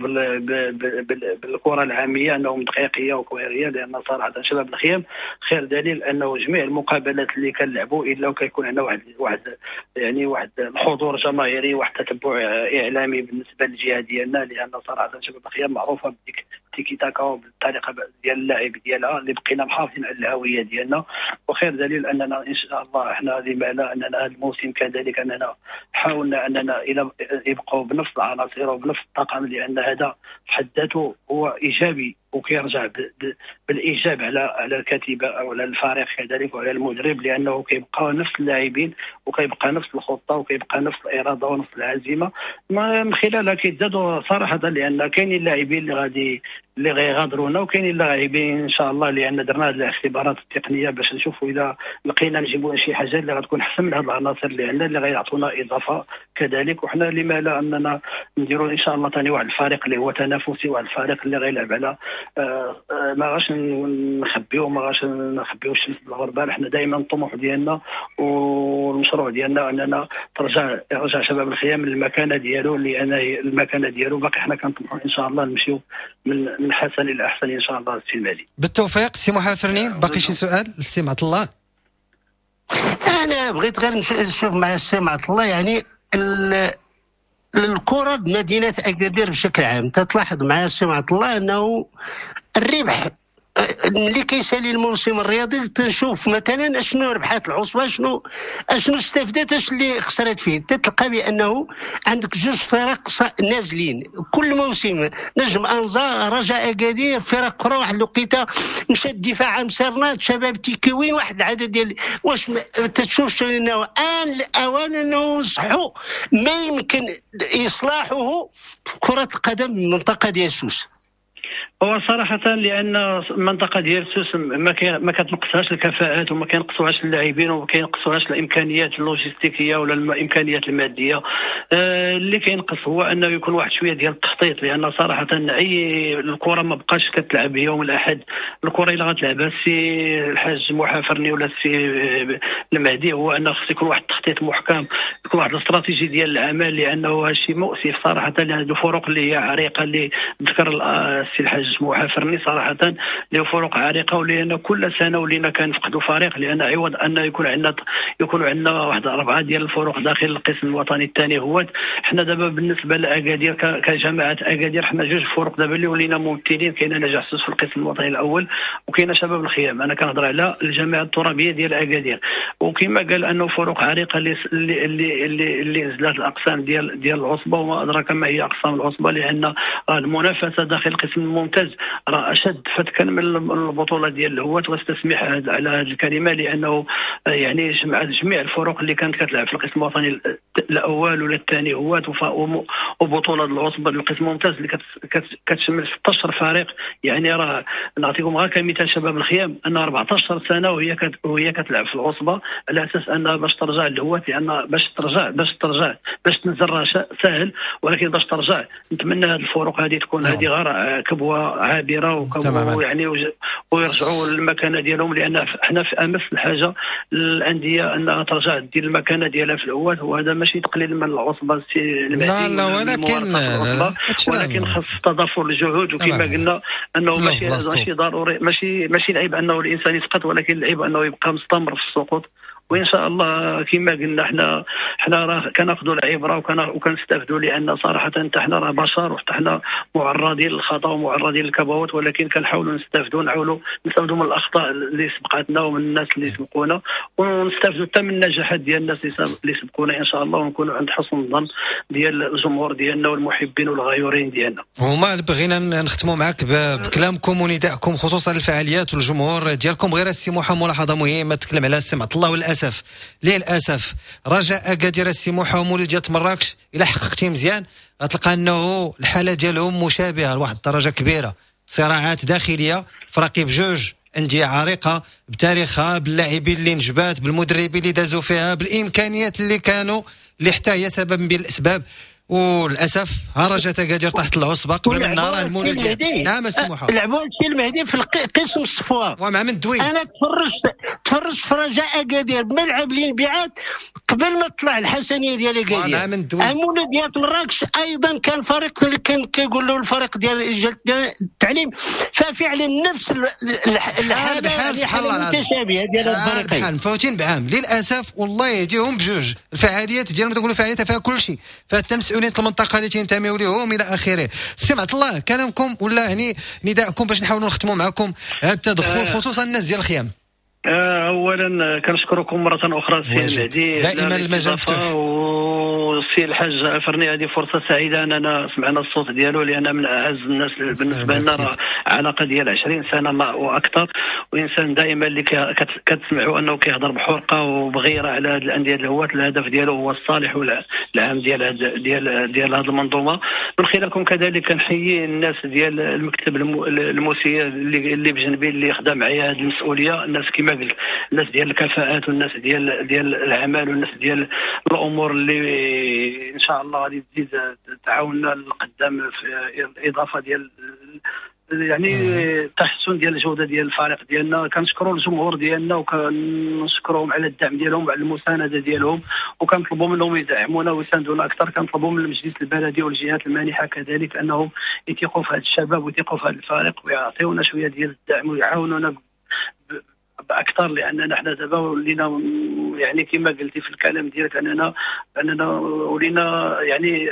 بالكرة العامية انهم دقيقيه وكويريه، لان صراحة شباب الخيام خير دليل انه جميع المقابلات اللي كنلعبوا الا وكيكون عندنا واحد يعني واحد الحضور جماهيري، واحد التتبع اعلامي بالنسبة للجهة ديالنا، لان صراحة شباب الخيام معروفة بديك تيكي تاكا وبالطريقه ديال اللعب ديالها اللي بقينا محافظين على الهوية ديالنا. وخير دليل اننا ان شاء الله احنا لما لا اننا هذا الموسم كذلك اننا حاولنا اننا الى يبقوا بنفس العناصر وبنفس الطاقم، لان هذا في حد ذاته هو ايجابي وكيرجع بالايجاب على الكتيبة او على الفريق كذلك وعلى المدرب، لانه كيبقى نفس اللاعبين وكيبقى نفس الخطة وكيبقى نفس الارادة ونفس العزيمة، من خلالها كيتزادوا صراحة، لان كاينين اللاعبين اللي غيغادرونا وكاينين اللاعبين ان شاء الله، لان درنا هذه الاختبارات التقنية باش نشوفوا اذا لقينا نجيبوا شي حاجة اللي غتكون احسن من هذه العناصر اللي عندنا اللي غيعطونا اضافه كذلك. وحنا لما لا اننا نديروا ان شاء الله ثاني واحد الفريق اللي هو تنافسي، واحد الفريق اللي غيلعب على ما غاش نخبيو ما غاش نخبيو الشمس بالغربال. حنا دائما الطموح ديالنا والمشروع ديالنا اننا يرجع شباب الخيام للمكانه ديالو، لان المكانة ديالو باقي حنا كنطمحوا ان شاء الله نمشيو من حسن الى احسن ان شاء الله. السي المهدي بالتوفيق. سي محافرني باقي شي سؤال للسي معط الله؟ انا بغيت غير نشوف مع السي معط الله، يعني الكره بمدينة اكادير بشكل عام تتلاحظ مع السي معط الله انه الربح ملي كيسالي الموسم الرياضي تنشوف مثلا اشنو ربحات العصبة، اشنو استفدت، اش اللي خسرت فيه، تتلقى بانه عندك جوج فرق نازلين كل موسم، نجم انزا، رجاء اكادير، فرق اخرى. واحد الوقيته مشى الدفاع مسرنات، شباب تيكوين، واحد العدد ديال واش تتشوفش انه ان الاوان انه نصحوا ما يمكن اصلاحه في كره القدم بالمنطقة ديال سوس. هو صراحة لأن المنطقة ديال سوس ما كتنقصهاش الكفاءات وما كينقصوهاش اللاعبين وما كينقصوهاش الإمكانيات اللوجستيكية ولا الإمكانيات المادية. اللي كينقص هو أنه يكون واحد شوية ديال التخطيط، لأن صراحة أي الكرة ما بقاش كتلعب يوم الأحد، الكرة إلا غتلعبها السي الحاج محافرني ولا السي المهدي، هو أنه خص يكون واحد التخطيط محكم، يكون واحد الاستراتيجي ديال العمل، لأنه هادشي مؤسف صراحة. لأن الفرق اللي هي عريقة اللي ذكر السي الحاج محافرني صراحة اللي فروق عريقة، ولان كل سنة ولينا كنفقدوا فريق، لان عوض ان يكون عندنا واحد 4 ديال الفروق داخل القسم الوطني الثاني هو حنا دابا بالنسبة لاكادير كجماعة اكادير حنا جوج فروق دابا اللي ولينا ممثلين، كاين نجاح سوس في القسم الوطني الاول وكاين شباب الخيام. انا كنهضر على الجامعة الترابيه ديال اكادير، وكما قال انه فروق عريقة اللي اللي اللي, اللي نزلت الاقسام ديال العصبة، وما ادراك ما هي اقسام العصبة، لان المنافسة داخل القسم الممتاز الممتاز راه اشد فتكا من البطولة ديال الهواة، واستسمح على هذه الكلمة لانه يعني جمعت جميع الفرق اللي كانت كتلعب في القسم الوطني الاول ولا الثاني هواة، وبطولة العصبة القسم الممتاز اللي كتشمل 16 فريق. يعني راه نعطيكم غير كمثال شباب الخيام ان 14 سنة وهي كتلعب في العصبة على اساس انها باش ترجع للهواة، لان باش تنزل راه ساهل، ولكن باش ترجع نتمنى هذه الفروق هذه تكون هذه غير كبوة عابرة وكبوه يعني ويرجعوا للمكانه ديالهم، لان حنا في امس الحاجة الاندية انها ترجع دير المكانة ديالها في الهواة، وهذا ماشي تقليل من العصبة المهدي، لا لا، ولكن خاص تضافر الجهود. وكما قلنا انه ماشي ضروري، ماشي العيب انه الانسان يسقط، ولكن العيب انه يبقى مستمر في السقوط. وان شاء الله كما قلنا حنا راه كناخذوا العبرة وكنستافدوا، لان صراحة حتى حنا راه بشر وحتى حنا معرضين للخطا ومعرضين للكبوات، ولكن كنحاولوا نستافدوا، نحاولوا نستافدوا من الاخطاء اللي سبقتنا ومن الناس اللي سبقونا، ونستافدوا حتى من النجاحات ديال الناس اللي سبقونا ان شاء الله، ونكونوا عند حسن الظن ديال الجمهور ديالنا والمحبين والغيورين ديالنا. هما بغينا نختموا معك بكلامكم وندائكم خصوصا الفعاليات والجمهور ديالكم. غير السي محمد ملاحظة مهمة تكلم على السي عبد الله، وللاسف للاسف رجاء اكادير السي موحى ومولودية مراكش الا حققتي مزيان غتلقى انه الحالة ديالهم مشابهة لواحد الدرجة كبيرة، صراعات داخلية، فراقي بجوج اندية عريقة بتاريخها، باللاعبين اللي نجبات، بالمدربين اللي دازوا فيها، بالامكانيات اللي كانوا، اللي حتى هي سبب من الاسباب. وللاسف رجاء اكادير تحت العصبة قبل من نهار المولوديه. نعم السي موحى، لعبوا السي المهدي في قسم الصفوة ومع من دوي. انا تفرجت في رجاء اكادير بملعب الانبعاث قبل ما تطلع الحسنيه ديال اكادير. ومع من دوي المولوديه مراكش ايضا كان فريق اللي كان كيقول له الفريق ديال التعليم، ففعلا نفس الحالة متشابهة ديال الفريقين، مفوتين بعام للاسف. والله يهديهم بجوج، الفعاليات ديالهم تقولوا فعاليات فيها كل شيء، فحتى مسؤولين المنطقة اللي تنتميو لهم الى اخره. سي عبد الله، كلامكم ولا يعني نداءكم باش نحاولوا نختموا معكم هذا التدخل خصوصا الناس ديال الخيام. اولا كنشكركم مرة اخرى سي المهدي، دائما المجال مفتوح، والسي الحاج افرني هذه فرصة سعيدة اننا سمعنا الصوت ديالو، لان من اعز الناس بالنسبة لنا، راه علاقة ديال 20 سنة ما واكثر، وانسان دائما اللي كتسمعوا انه كيهضر بحرقه وبغيره على هذه الاندية الهواة. الهدف ديالو هو الصالح والعام ديال ديال ديال هذه المنظومة. من خلالكم كذلك كنحيي الناس ديال المكتب المسير اللي بجنبي اللي خدام معايا هذه المسؤولية، الناس كما قلت، الناس ديال الكفاءات والناس ديال العمل والناس ديال الامور اللي ان شاء الله غادي تزيد تعاوننا للقدام في الاضافة ديال يعني التحسن ديال الجودة ديال الفريق ديالنا. كنشكروا الجمهور ديالنا وكنشكرهم على الدعم ديالهم وعلى المساندة ديالهم، وكنطلبوا منهم يدعمونا ويساندونا اكثر. كنطلبوا من المجلس البلدي والجهات المانحه كذلك انهم يثيقوا في هذا الشباب ويثيقوا في هذا الفريق ويعطيونا شوية ديال الدعم ويعاونونا باكثر، لاننا حنا دابا ولينا يعني كما قلتي في الكلام ديالك اننا ولينا يعني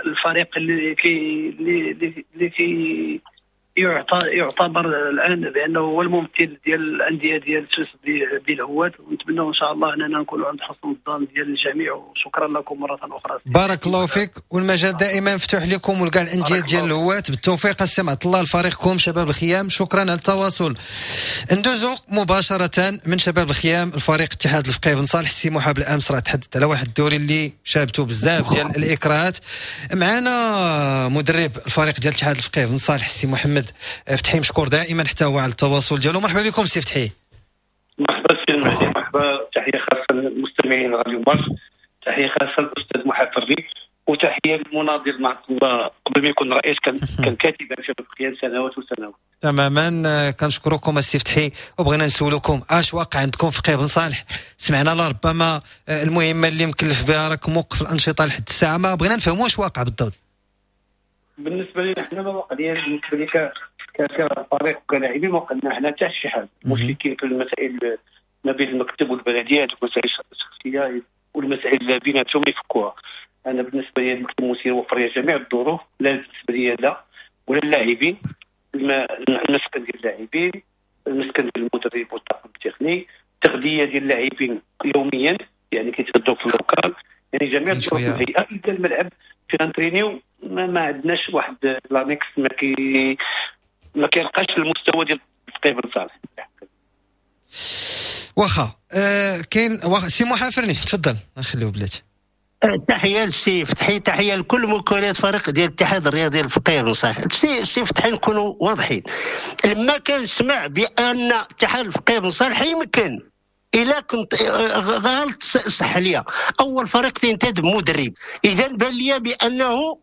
الفريق اللي كي يعتبر الان بانه هو الممثل ديال الاندية ديال سوس بالهواة، ونتمنى ان شاء الله اننا نكونوا عند حسن الظن ديال الجميع. وشكرا لكم مرة اخرى، بارك الله فيك، والمجال دائما مفتوح لكم ولكاع الاندية ديال الهواة. بالتوفيق السي عبد الله لفريقكم شباب الخيام، شكرا على التواصل. ندوزو مباشرة من شباب الخيام الفريق اتحاد الفقيه بن صالح. السي محاب الامس راه تحدث على واحد الدوري اللي شابته بزاف ديال الاكراهات. معنا مدرب الفريق ديال اتحاد الفقيه بن صالح السي محمد فتحي، مشكور دائما حتى هو على التواصل ديالو. مرحبا بكم سي فتحي. مرحبا سي المهدي، مرحبا، تحية خاصة للمستمعين راديو مارس، تحية خاصة للاستاذ محمد فري، وتحية للمناضل مع الله قبل ما يكون رئيس كان كاتبا في القيام سنوات وسنوات. تماما، كنشكركم السي فتحي، وبغينا نسولكم اش واقع عندكم في فقيه بن صالح. سمعنا لربما المهمة اللي مكلف بها راك موقف الانشطة لحد الساعة، ما بغينا نفهموا اش واقع بالضبط. بالنسبة لنا حنا ما وقع لينا بالنسبة لي كفريق وكلاعبين ما وقعنا حنا حتى شي حاجة. المشكل كاين في المسائل ما بين المكتب والبلديات والمسائل الشخصية والمسائل اللي بيناتهم يفكوها. انا بالنسبة لي المكتب المسير وفر لي جميع الظروف، لا بالنسبة لي لا ولا اللاعبين، المسكن ديال اللاعبين، المسكن ديال المدرب والطاقم التقني، التغذية ديال اللاعبين يوميا يعني كيتغداو في ال local، يعني جميع الظروف الهيئة. الا الملعب فين نترينيو ما عندناش واحد l'annexe، ما كي ما كيلقاش المستوى ديال الفقيه بن صالح. واخا كاين سي محافرني تفضل نخليو بلاتي. تحية للسي فتحي، تحية لكل مكونات فريق ديال الاتحاد الرياضي الفقيه بن صالح. السي فتحي نكونوا واضحين، لما كنسمع بان اتحاد الفقيه بن صالح يمكن الا كنت غلط صح ليا، اول فريق تنتدب مدرب، اذا بان ليا بانه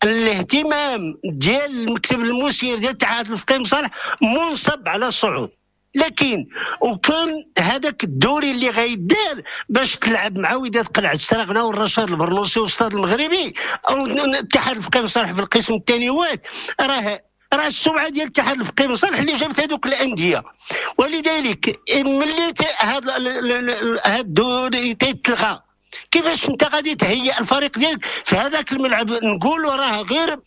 الاهتمام ديال المكتب المسير ديال الاتحاد الفقيه بن صالح منصب على الصعود. لكن وكان هذاك الدوري اللي غيدار باش تلعب مع وداد قلعه السراغنه والرشاد البرنوسي والستاد المغربي او الاتحاد الفقيه بن صالح في القسم الثاني، راه السمعة ديال الاتحاد الفقيه بن صالح اللي جابت هذوك الاندية. ولذلك ملي هذا الدوري تيتلغى، كيفاش انت غادي تهيئ الفريق ديالك في هذاك الملعب؟ نقولوا راه غير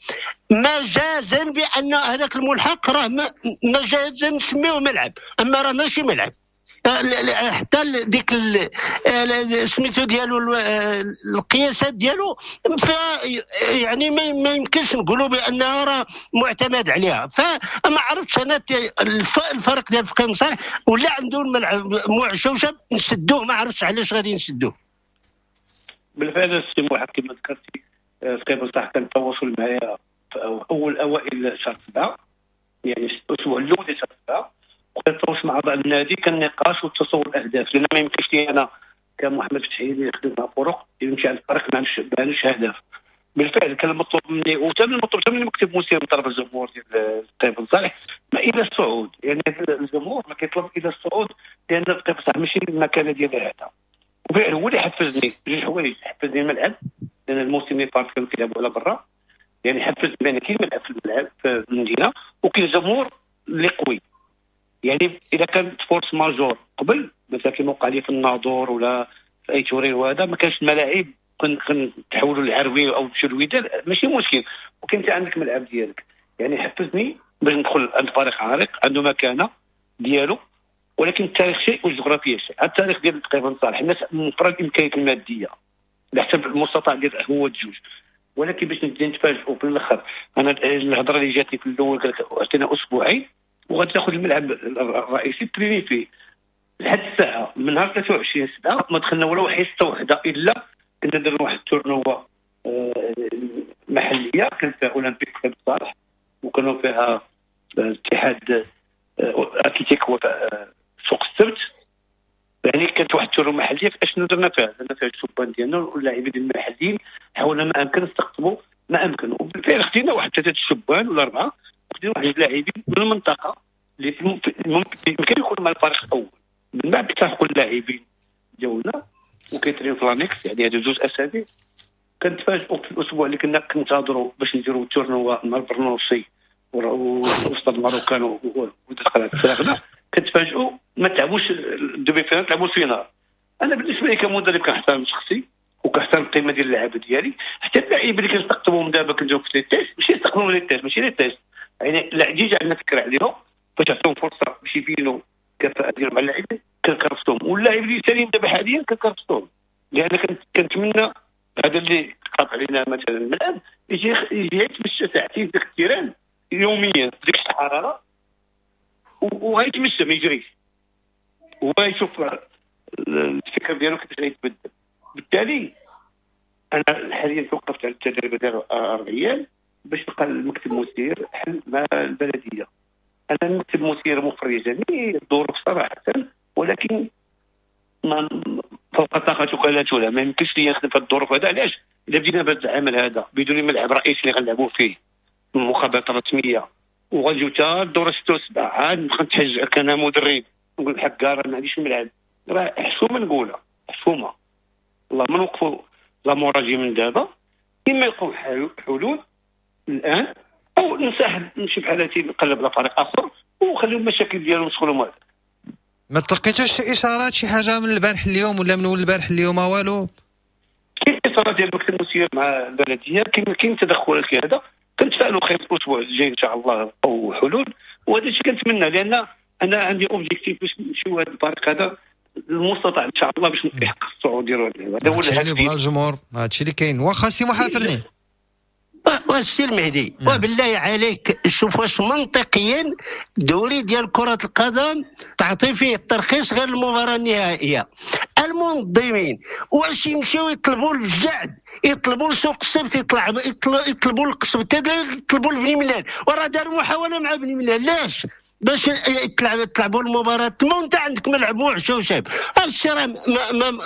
مجازا بان هذاك الملحق راه مجازا نسميوه ملعب، اما راه ماشي ملعب. حتى ديك سميتو ديالو القياسات ديالو يعني ما يمكنش نقولوا بانها راه معتمد عليها. فما عرفتش انا الفريق ديال الفقيه بن صالح ولا عنده الملعب معشوشب نسدوه، ما عرفتش علاش غادي نسدوه. بالفعل السي محمد كما ذكرتي فقيه بن صالح كان التواصل معايا في اول اوائل شهر 7، يعني الاسبوع الاول ديال شهر 7، وكان التواصل مع اعضاء النادي، كان نقاش وتصور الاهداف، لان ما يمكنش لي انا كمحمد فتحي اللي خدمت مع فرق يمشي على الفريق ما عندوش هدف. بالفعل كان المطلوب مني وتم المطلوب من المكتب المسير من طرف الجمهور ديال الفقيه بن صالح ما الى الصعود، يعني الجمهور ما كيطلب الى الصعود لان الفقيه بن صالح ماشي المكانة ديالها هذا. وبالفعل هو اللي حفزني جوج حوايج، حفزني الملعب لان الموسم اللي فات كانوا كيلعبوا على برا، يعني حفزني بان كاين ملعب في الملعب في المدينة وكاين الجمهور اللي قوي. يعني اذا كانت force majeure قبل مثلا كما وقع لي في الناظور ولا في اي تورين وهذا ما كانش الملاعب كنتحولوا للعروي او نمشيو للوداد ماشي مشكل، وكان انت عندك ملعب ديالك. يعني حفزني باش ندخل عند فريق عريق عنده مكانه ديالو، ولكن التاريخ شيء والجغرافيا شيء. التاريخ ديال الفقيه بن صالح الناس موفره الامكانيات المادية على حسب المستطاع ديال هو الجوج، ولكن باش نتفاجئوا في الاخر. انا الهضرة اللي جاتني في الاول قال لك عطينا اسبوعين وغادي تاخذ الملعب الرئيسي تريني فيه. لحد الساعة من نهار 23/7 ما دخلنا ولا حصة وحده، الا كنا درنا واحد ال tournoi محليه كان فيها اولمبيك بن صالح وكانوا فيها الاتحاد اتلتيك سوق السبت، يعني كانت واحد ال tournoi محليه. اشنو درنا فيها؟ درنا فيها الشبان ديالنا واللاعبين المحليين، حاولنا ما امكن نستقطبوا ما امكن، وبالفعل خدينا واحد 3 الشبان ولا 4، خدينا واحد اللاعبين من المنطقة اللي يمكن يكونوا مع الفريق الاول. من بعد التحقوا اللاعبين ديالنا وكيترين في l'annexe، يعني هادو 2 اسابيع. كنتفاجئوا في الاسبوع اللي كنا كنتظروا باش نديروا ال tournoi مع البرنوصي وسط الماروكان ودخلت السراغنه، كتفاجئوا ما تلعبوش ال demi-finale، تلعبوا ال finale. انا بالنسبة لي كمدرب كنحترم شخصي وكنحترم القيمة ديال اللعابه ديالي، حتى اللاعبين اللي كنستقطبهم دابا كنديروا في les tests ماشي يستقطبهم les tests، ماشي les tests، يعني déjà عندنا فكرة عليهم باش تعطيهم فرصة باش يبينوا الكفاءة ديالهم مع اللاعبين كنكرفسهم، واللاعبين اللي سالين دابا حاليا كنكرفسهم، لان كنتمنى هذا اللي قاطع علينا مثلا الملعب يجي يتمشى ساعتين في ال terrain يوميا في ديك الحرارة وغيتمشى ما يجريش، ويشوف الفكر ديالو كيفاش غيتبدل. بالتالي انا حاليا توقفت على التدريب ديال 4 ايام باش تلقى المكتب المسير حل مع البلدية. انا المكتب المسير موفر لي جميع الظروف صراحة، ولكن ما فوق طاقتك لا تولى، ما يمكنش لي نخدم في الظروف هذا. علاش؟ الا بدينا بهذا العمل هذا بدون ملعب رئيسي اللي غنلعبوا فيه مقابلات رسمية وغنجيو حتى الدورة 6 و7 عاد نبقى نتحج كان مدرب نقول حكا راه ما عنديش الملعب، راه حشومه نقولها حشومه. والله ما نوقفوا لا موراجي من دابا، اما يلقاو حلول الان او نسحب نمشي بحالاتي نقلب على فريق اخر وخليو المشاكل ديالهم يدخلوا. ما تلقيتوش شي اشارات شي حاجة من البارح اليوم ولا من اول البارح اليوم والو؟ كاين اتصالات ديال المكتب المسير مع البلدية، كاين تدخلات كهذا، كنتفائلوا خير الاسبوع الجاي ان شاء الله او حلول، وهذا الشيء كنتمنى، لان انا عندي objectif باش نمشيو هذا الفريق هذا المستطاع ان شاء الله باش يحقق الصعود ديالو. هذا هو الهدف اللي بغا الجمهور، هادشي اللي كاين. واخا سي محافرني والسي المهدي وبالله عليك شوف واش منطقيا دوري ديال كرة القدم تعطي فيه الترخيص غير المباراة النهائية. المنظمين واش يمشيو يطلبوا الجعد، يطلبوا سوق السبت، يطلبوا القصب، يطلبوا لبني ملال، وراه داروا محاولة مع بني ملال لاش؟ باش تلعبوا المباراة تما وانت عندك ملعب وحش وشاب. هادشي راه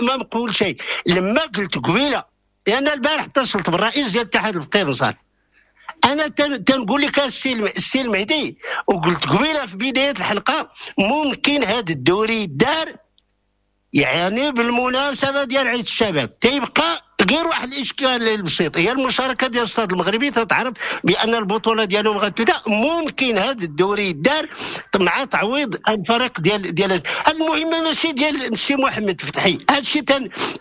ما مقبول شيء. لما قلت قبيلة، لان البارح اتصلت بالرئيس ديال الاتحاد الفقيه بن صالح، انا تنقول لك السي المهدي، وقلت قبيلة في بداية الحلقة، ممكن هذا الدوري دار يعني بالمناسبة ديال عيد الشباب. تيبقى غير واحد الاشكال البسيط، هي المشاركة ديال الصاد المغربي. تتعرف بان البطولة ديالهم غتبدا، ممكن هذا الدوري دار مع تعويض الفريق ديال المهمة، ماشي ديال السي محمد فتحي. هذا الشيء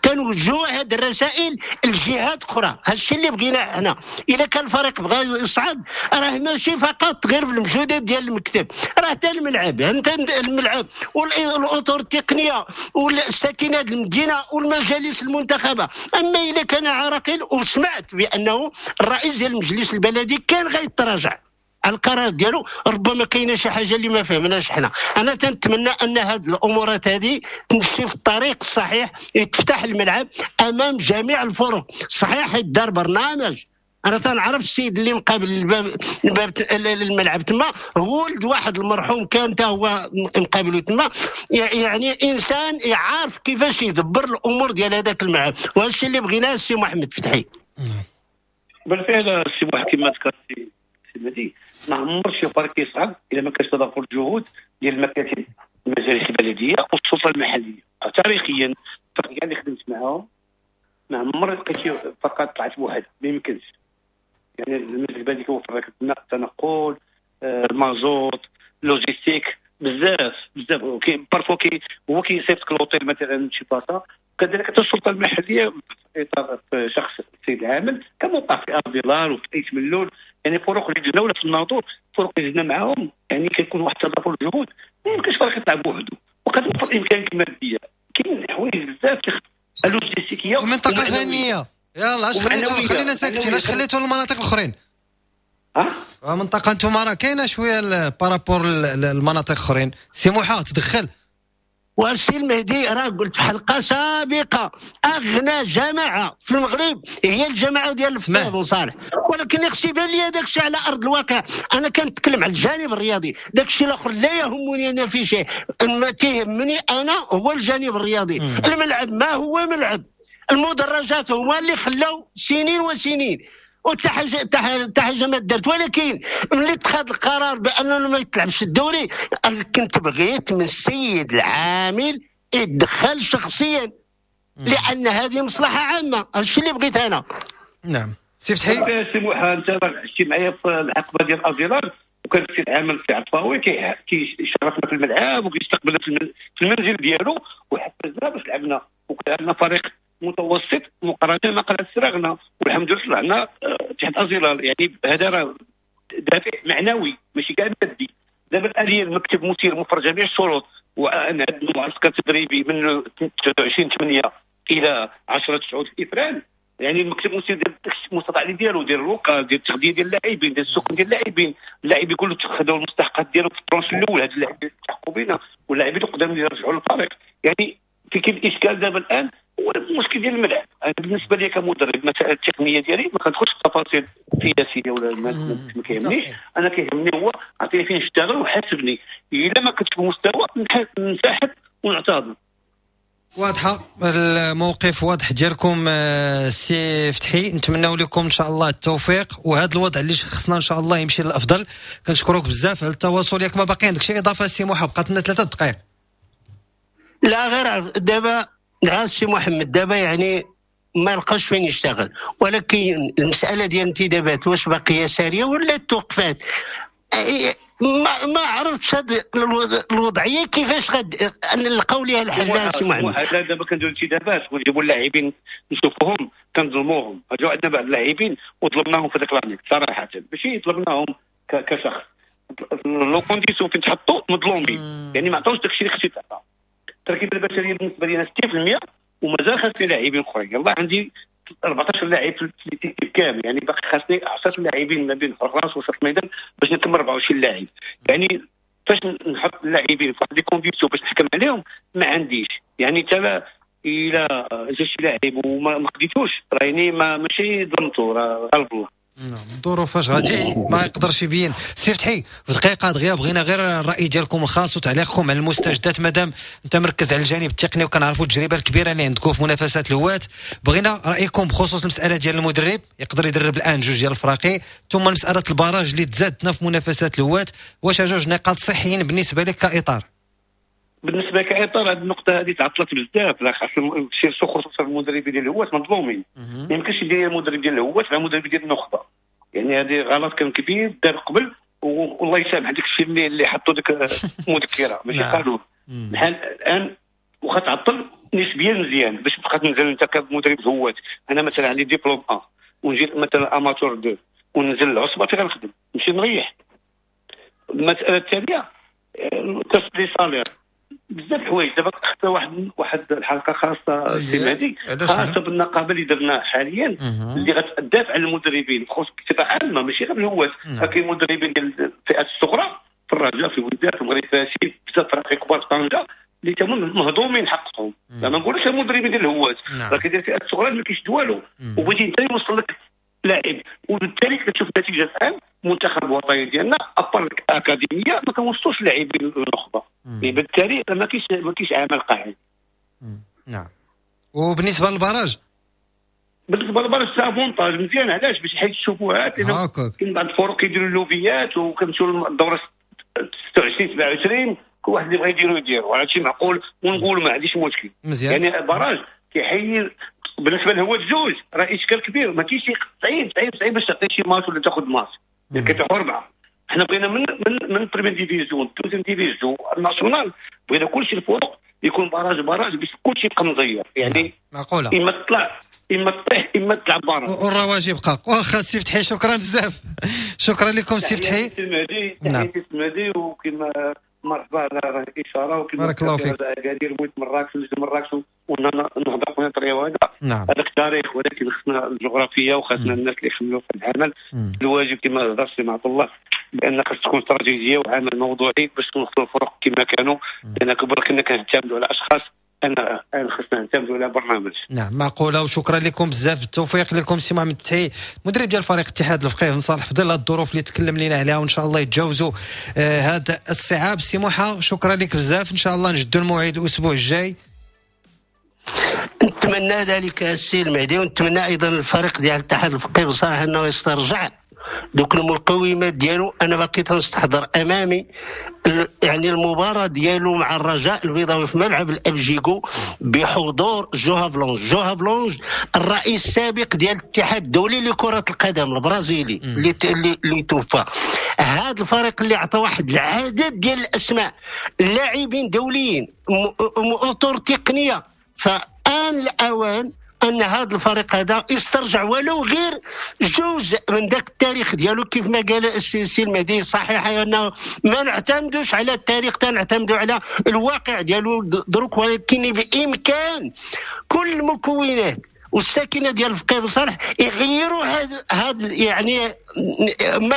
تنوجهوا هذه الرسائل لجهات اخرى. هذا الشيء اللي بغينا حنا، اذا كان الفريق بغى يصعد راه ماشي فقط غير بالمجهودات ديال المكتب، راه حتى الملعب، انت الملعب والاطر التقنية والساكنات المدينة والمجالس المنتخبه. اما اذا كان عراقيل، وسمعت بانه الرئيس ديال المجلس البلدي كان غيتراجع على القرار ديالو، ربما كاينه شي حاجة اللي ما فهمناش حنا. انا تنتمنى ان هذه الامورات هذه تمشي في الطريق الصحيح، يتفتح الملعب امام جميع الفرق. صحيح يدار برنامج، انا تنعرف السيد اللي مقابل الباب الملعب تما، هو ولد واحد المرحوم كان تا هو مقابله تما، يعني انسان يعرف كيفاش يدبر الامور ديال هذاك الملعب. وهذا الشيء اللي بغيناه السي محمد فتحي. بالفعل السي محمد كما ذكرتي السي مهدي، ما عمر شي فريق يصعد الا ما كانش تضافر الجهود ديال المكاتب المجالس البلدية والسلطة المحلية. تاريخيا الفرق اللي خدمت معاهم ما عمر لقيت شي فرقه طلعت بوحدها، ما يمكنش. يعني المجلس البلدي كيوفر لك التنقل، المازوت، logistique، بزاف بزاف. parfois هو كيصيفطك l'hôtel مثلا شي بلاصة. كذلك حتى السلطة المحلية في اطار شخص السيد العامل كما وقع في ازيلال وفي ايت ملول، يعني فرق اللي جبنا ولا في الناظور، فرق اللي جبنا معاهم، يعني كيكون واحد التضافر الجهود. ما يمكنش فريق يطلع بوحدو، وكتوفر الامكانيات المادية. كاين حوايج بزاف اللوجيستيكيه ومنطقة غنية. يلا اش خليتو، خلينا ساكتين، اش خليتو للمناطق الاخرين؟ ها منطقة انتم راه كاينه شوية par rapport للمناطق الاخرين. سي موحى تدخل. والسي المهدي راه قلت في حلقة سابقه، اغنى جماعة في المغرب هي الجماعة ديال الفقيه بن صالح، ولكن خص يبان لي داك الشيء على ارض الواقع. انا كنتكلم على الجانب الرياضي، داك الشيء الاخر لا يهمني انا في شيء، ما تيهمني انا هو الجانب الرياضي. الملعب ما هو ملعب، المدرجات هما اللي خلاو سنين وسنين وحتى حاجة ما دارت. ولكن ملي اتخذ القرار بانه ما يتلعبش الدوري، كنت بغيت من السيد العامل يتدخل شخصيا، لان هذه مصلحة عامة. هذا الشيء اللي بغيت انا. نعم سي فتحي. سي موحى، انت عشتي معايا في الحقبة ديال ازيلال، وكان السي العامل سي عطفاوي كيشرفنا في الملعب وكيستقبلنا في المنزل ديالو، وحفزنا باش لعبنا، وكان عندنا فريق متوسط مقارنة مع قلعه السراغنه، والحمد لله طلعنا تحت ازيلال. يعني هذا راه دافع معنوي ماشي كاع مادي. دابا الآلية المكتب مسير موفر جميع الشروط، وانا عندنا معسكر تدريبي من 29/8 الى 10/9 في افران. يعني المكتب المسير ديال المستطاع ديالو، ديال ال local، ديال التغذية ديال اللاعبين، ديال السكن ديال اللاعبين، اللاعبين كلهم خداو المستحقات ديالهم في ال tranche الاول، هاد اللاعبين التحقوا بنا واللاعبين القدام اللي رجعوا للفريق. يعني في كاين الاشكال دابا الان هو المشكل ديال الملعب. انا بالنسبة لي كمدرب المسائل التقنية ديالي ما كندخلش في التفاصيل السياسية ولا ما كيهمنيش. انا كيهمني هو عطيني فين نشتغل وحاسبني، الا ما كنتش بمستوى ننسحب ونعتذر. واضحة الموقف واضح ديالكم سي فتحي، نتمنوا لكم ان شاء الله التوفيق، وهذا الوضع اللي شخصنا ان شاء الله يمشي للافضل. كنشكرك بزاف على التواصل. ياك ما باقي عندك شي اضافه سي موحى؟ بقات لنا 3 دقائق. لا غير دابا السي محمد دابا يعني ما لقاش فين يشتغل، ولكن المسالة ديال الانتدابات واش باقية ساريه ولا توقفات، ما عرفتش هاد الوضعية كيفاش غاد نلقاو ليها الحل سي محمد. دابا كنديروا انتدابات ونجيبوا اللاعبين نشوفوهم كنظلموهم. جاو عندنا بعض اللاعبين وظلمناهم في ذاك l'année صراحة، ماشي ظلمناهم كشخص، les conditions فين تحطوا مظلومين، يعني ما عطاوش داكشي اللي خصو يتعطى. التركيبة البشرية بالنسبة لينا 60% ومازال خاصني لاعبين اخرين. يلاه عندي 14 لاعب في l'équipe كامل، يعني باقي خاصني 10 لاعبين ما بين حراس وسط الميدان باش نكمل 24 لاعب. يعني فاش نحط اللاعبين في واحد les conditions باش نحكم عليهم ما عنديش، يعني حتى الى جا شي لاعب وما خديتوش راه يعني ماشي ظلمتو، راه غالب الله. نعم الظروف فاش غادي ما يقدرش يبين. سي فتحي في دقيقة دغيا بغينا غير الراي ديالكم الخاص وتعليقكم على المستجدات، مادام انت مركز على الجانب التقني وكنعرفوا التجربة الكبيرة اللي عندكم في منافسات الهواة، بغينا رايكم بخصوص المسالة ديال المدرب يقدر يدرب الان جوج ديال الفراقي، ثم مسالة ال barrage اللي تزادنا في منافسات الهواة، واش جوج نقاط صحيين بالنسبة لك كاطار؟ بالنسبة كاطار هذه النقطة هذه تعطلت بزاف، لا خاص خصوصا المدربين ديال الهواة مظلومين. ما يمكنش يدير المدرب ديال الهواة مع المدرب ديال النخبة، يعني هذه غلط كان كبير دار قبل، والله يسامح داك الشيء اللي حطوا ديك المذكرة ماشي قانون. بحال الان واخا تعطل نسبيا مزيان باش تبقى تنزل انت كمدرب هواة. انا مثلا عندي ديبلوم 1 ونجي مثلا amateur 2 وننزل العصبة فين غنخدم؟ نمشي نريح. المسالة الثانية les salaires، بزاف الحوايج. دابا حتى واحد الحلقة خاصة سي مهدي خاصة بالنقابه اللي درنا حاليا اللي غتدافع على المدربين بخصوص بصفة عامة ماشي غير الهواة. كاين مدربين ديال الفئات الصغرى في الرجاء، في الوداد، في المغرب فاسي، بزاف فرق كبار في طنجه اللي تما مهضومين حقهم. ما نقولوش المدربين ديال الهواة، راه كاين الفئات الصغرى اللي ما كيشد والو، وبغيتي انت يوصل لك لاعب، وبالتالي كتشوف النتيجة الان المنتخب الوطني ديالنا à part الاكاديمية ما كنوصلوش اللاعبين للنخبه، بالتالي ما كاينش عمل قاعد. نعم. وبالنسبة لل barrage؟ بالنسبة لل barrage c'est avantage مزيان. علاش؟ باش حيت الشبهات، لان كاين بعض الفرق كيديروا اللوبيات وكنمشيو للدورة 26 27 كل واحد اللي بغى يديرو يديرو، هذا شيء معقول ونقول ما عنديش مشكل مزيان. يعني ال barrage كيحيي بالنسبة لهو الجوج راه اشكال كبير، ما كاينش صعيب صعيب صعيب باش تعطي شي ماتش ولا تاخذ ماتش، يعني كتروح اربعة. حنا بغينا من première division، deuxième division، ال nationale، بغينا كلشي الفرق يكون barrage barrage باش كلشي يبقى مزير، يعني معقولة اما تطلع اما تطيح اما تلعب barrage والرواج يبقى. واخا سي فتحي شكرا بزاف، شكرا لكم سي فتحي. تحياتي المهدي، وكما مرحبا على الاشارة، وكما بارك الله فيك. اكادير بغيت مراكش مراكش ونهضر خويا طريوه هذا. نعم. هذاك التاريخ، ولكن خصنا الجغرافية وخصنا الناس اللي يخملوا في العمل. الواجب كما هضر سي عبد الله بان خص تكون استراتيجية وعمل موضوعي باش نوصلوا الفرق كما كانوا، لان كبر كنا كنعتمدوا على اشخاص، انا خصنا نعتمدوا على برنامج. نعم معقولة، وشكرا لكم بزاف، بالتوفيق لكم سي محمد فتحي مدرب ديال فريق اتحاد الفقيه بن صالح في ظل الظروف اللي تكلم لنا عليها، وان شاء الله يتجاوزوا هذا الصعاب. سي موحى شكرا لك بزاف، ان شاء الله نجدوا الموعد الاسبوع الجاي. نتمنى ذلك السي المهدي، ونتمنى ايضا الفريق ديال الاتحاد الفقيه بن صالح انه يسترجع دوك المقومات ديالو. انا باقي تنستحضر امامي يعني المباراة ديالو مع الرجاء البيضاوي في ملعب الابجيكو بحضور جو هافلونج. جو هافلونج الرئيس السابق ديال الاتحاد الدولي لكرة القدم البرازيلي اللي توفى. هذا الفريق اللي عطى واحد العدد ديال الاسماء لاعبين دوليين اطر تقنية، فآن الاوان ان هذا الفريق هذا يسترجع ولو غير جزء من ذاك التاريخ ديالو. كيف ما قال السي المهدي صحيح انه ما نعتمدوش على التاريخ، تنعتمدوا على الواقع ديالو دروك، ولكن بامكان كل المكونات والساكنه ديال الفقيه بن صالح يغيروا هذا يعني ما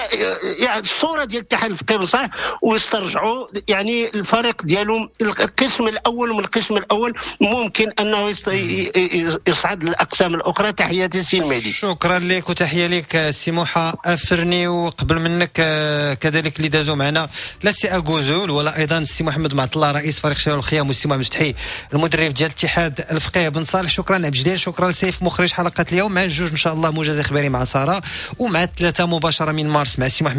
يعني الصورة ديال الاتحاد الفقيه بن صالح، ويسترجعوا يعني الفريق ديالهم القسم الاول من القسم الاول ممكن انه يصعد للاقسام الاخرى. تحياتي سي المهدي. شكرا لك وتحية لك سي موحى افرني، وقبل منك كذلك اللي دازوا معنا لا سي اغوزول ولا ايضا السي محمد معط الله رئيس فريق شباب الخيام، والسي محمد فتحي المدرب ديال الاتحاد الفقيه بن صالح. شكرا عبد الجليل، شكرا سيف مخرج حلقة اليوم. مع الجوج إن شاء الله موجز إخباري مع سارة، ومع الثلاثة مباشرة من مارس مع سي محمد.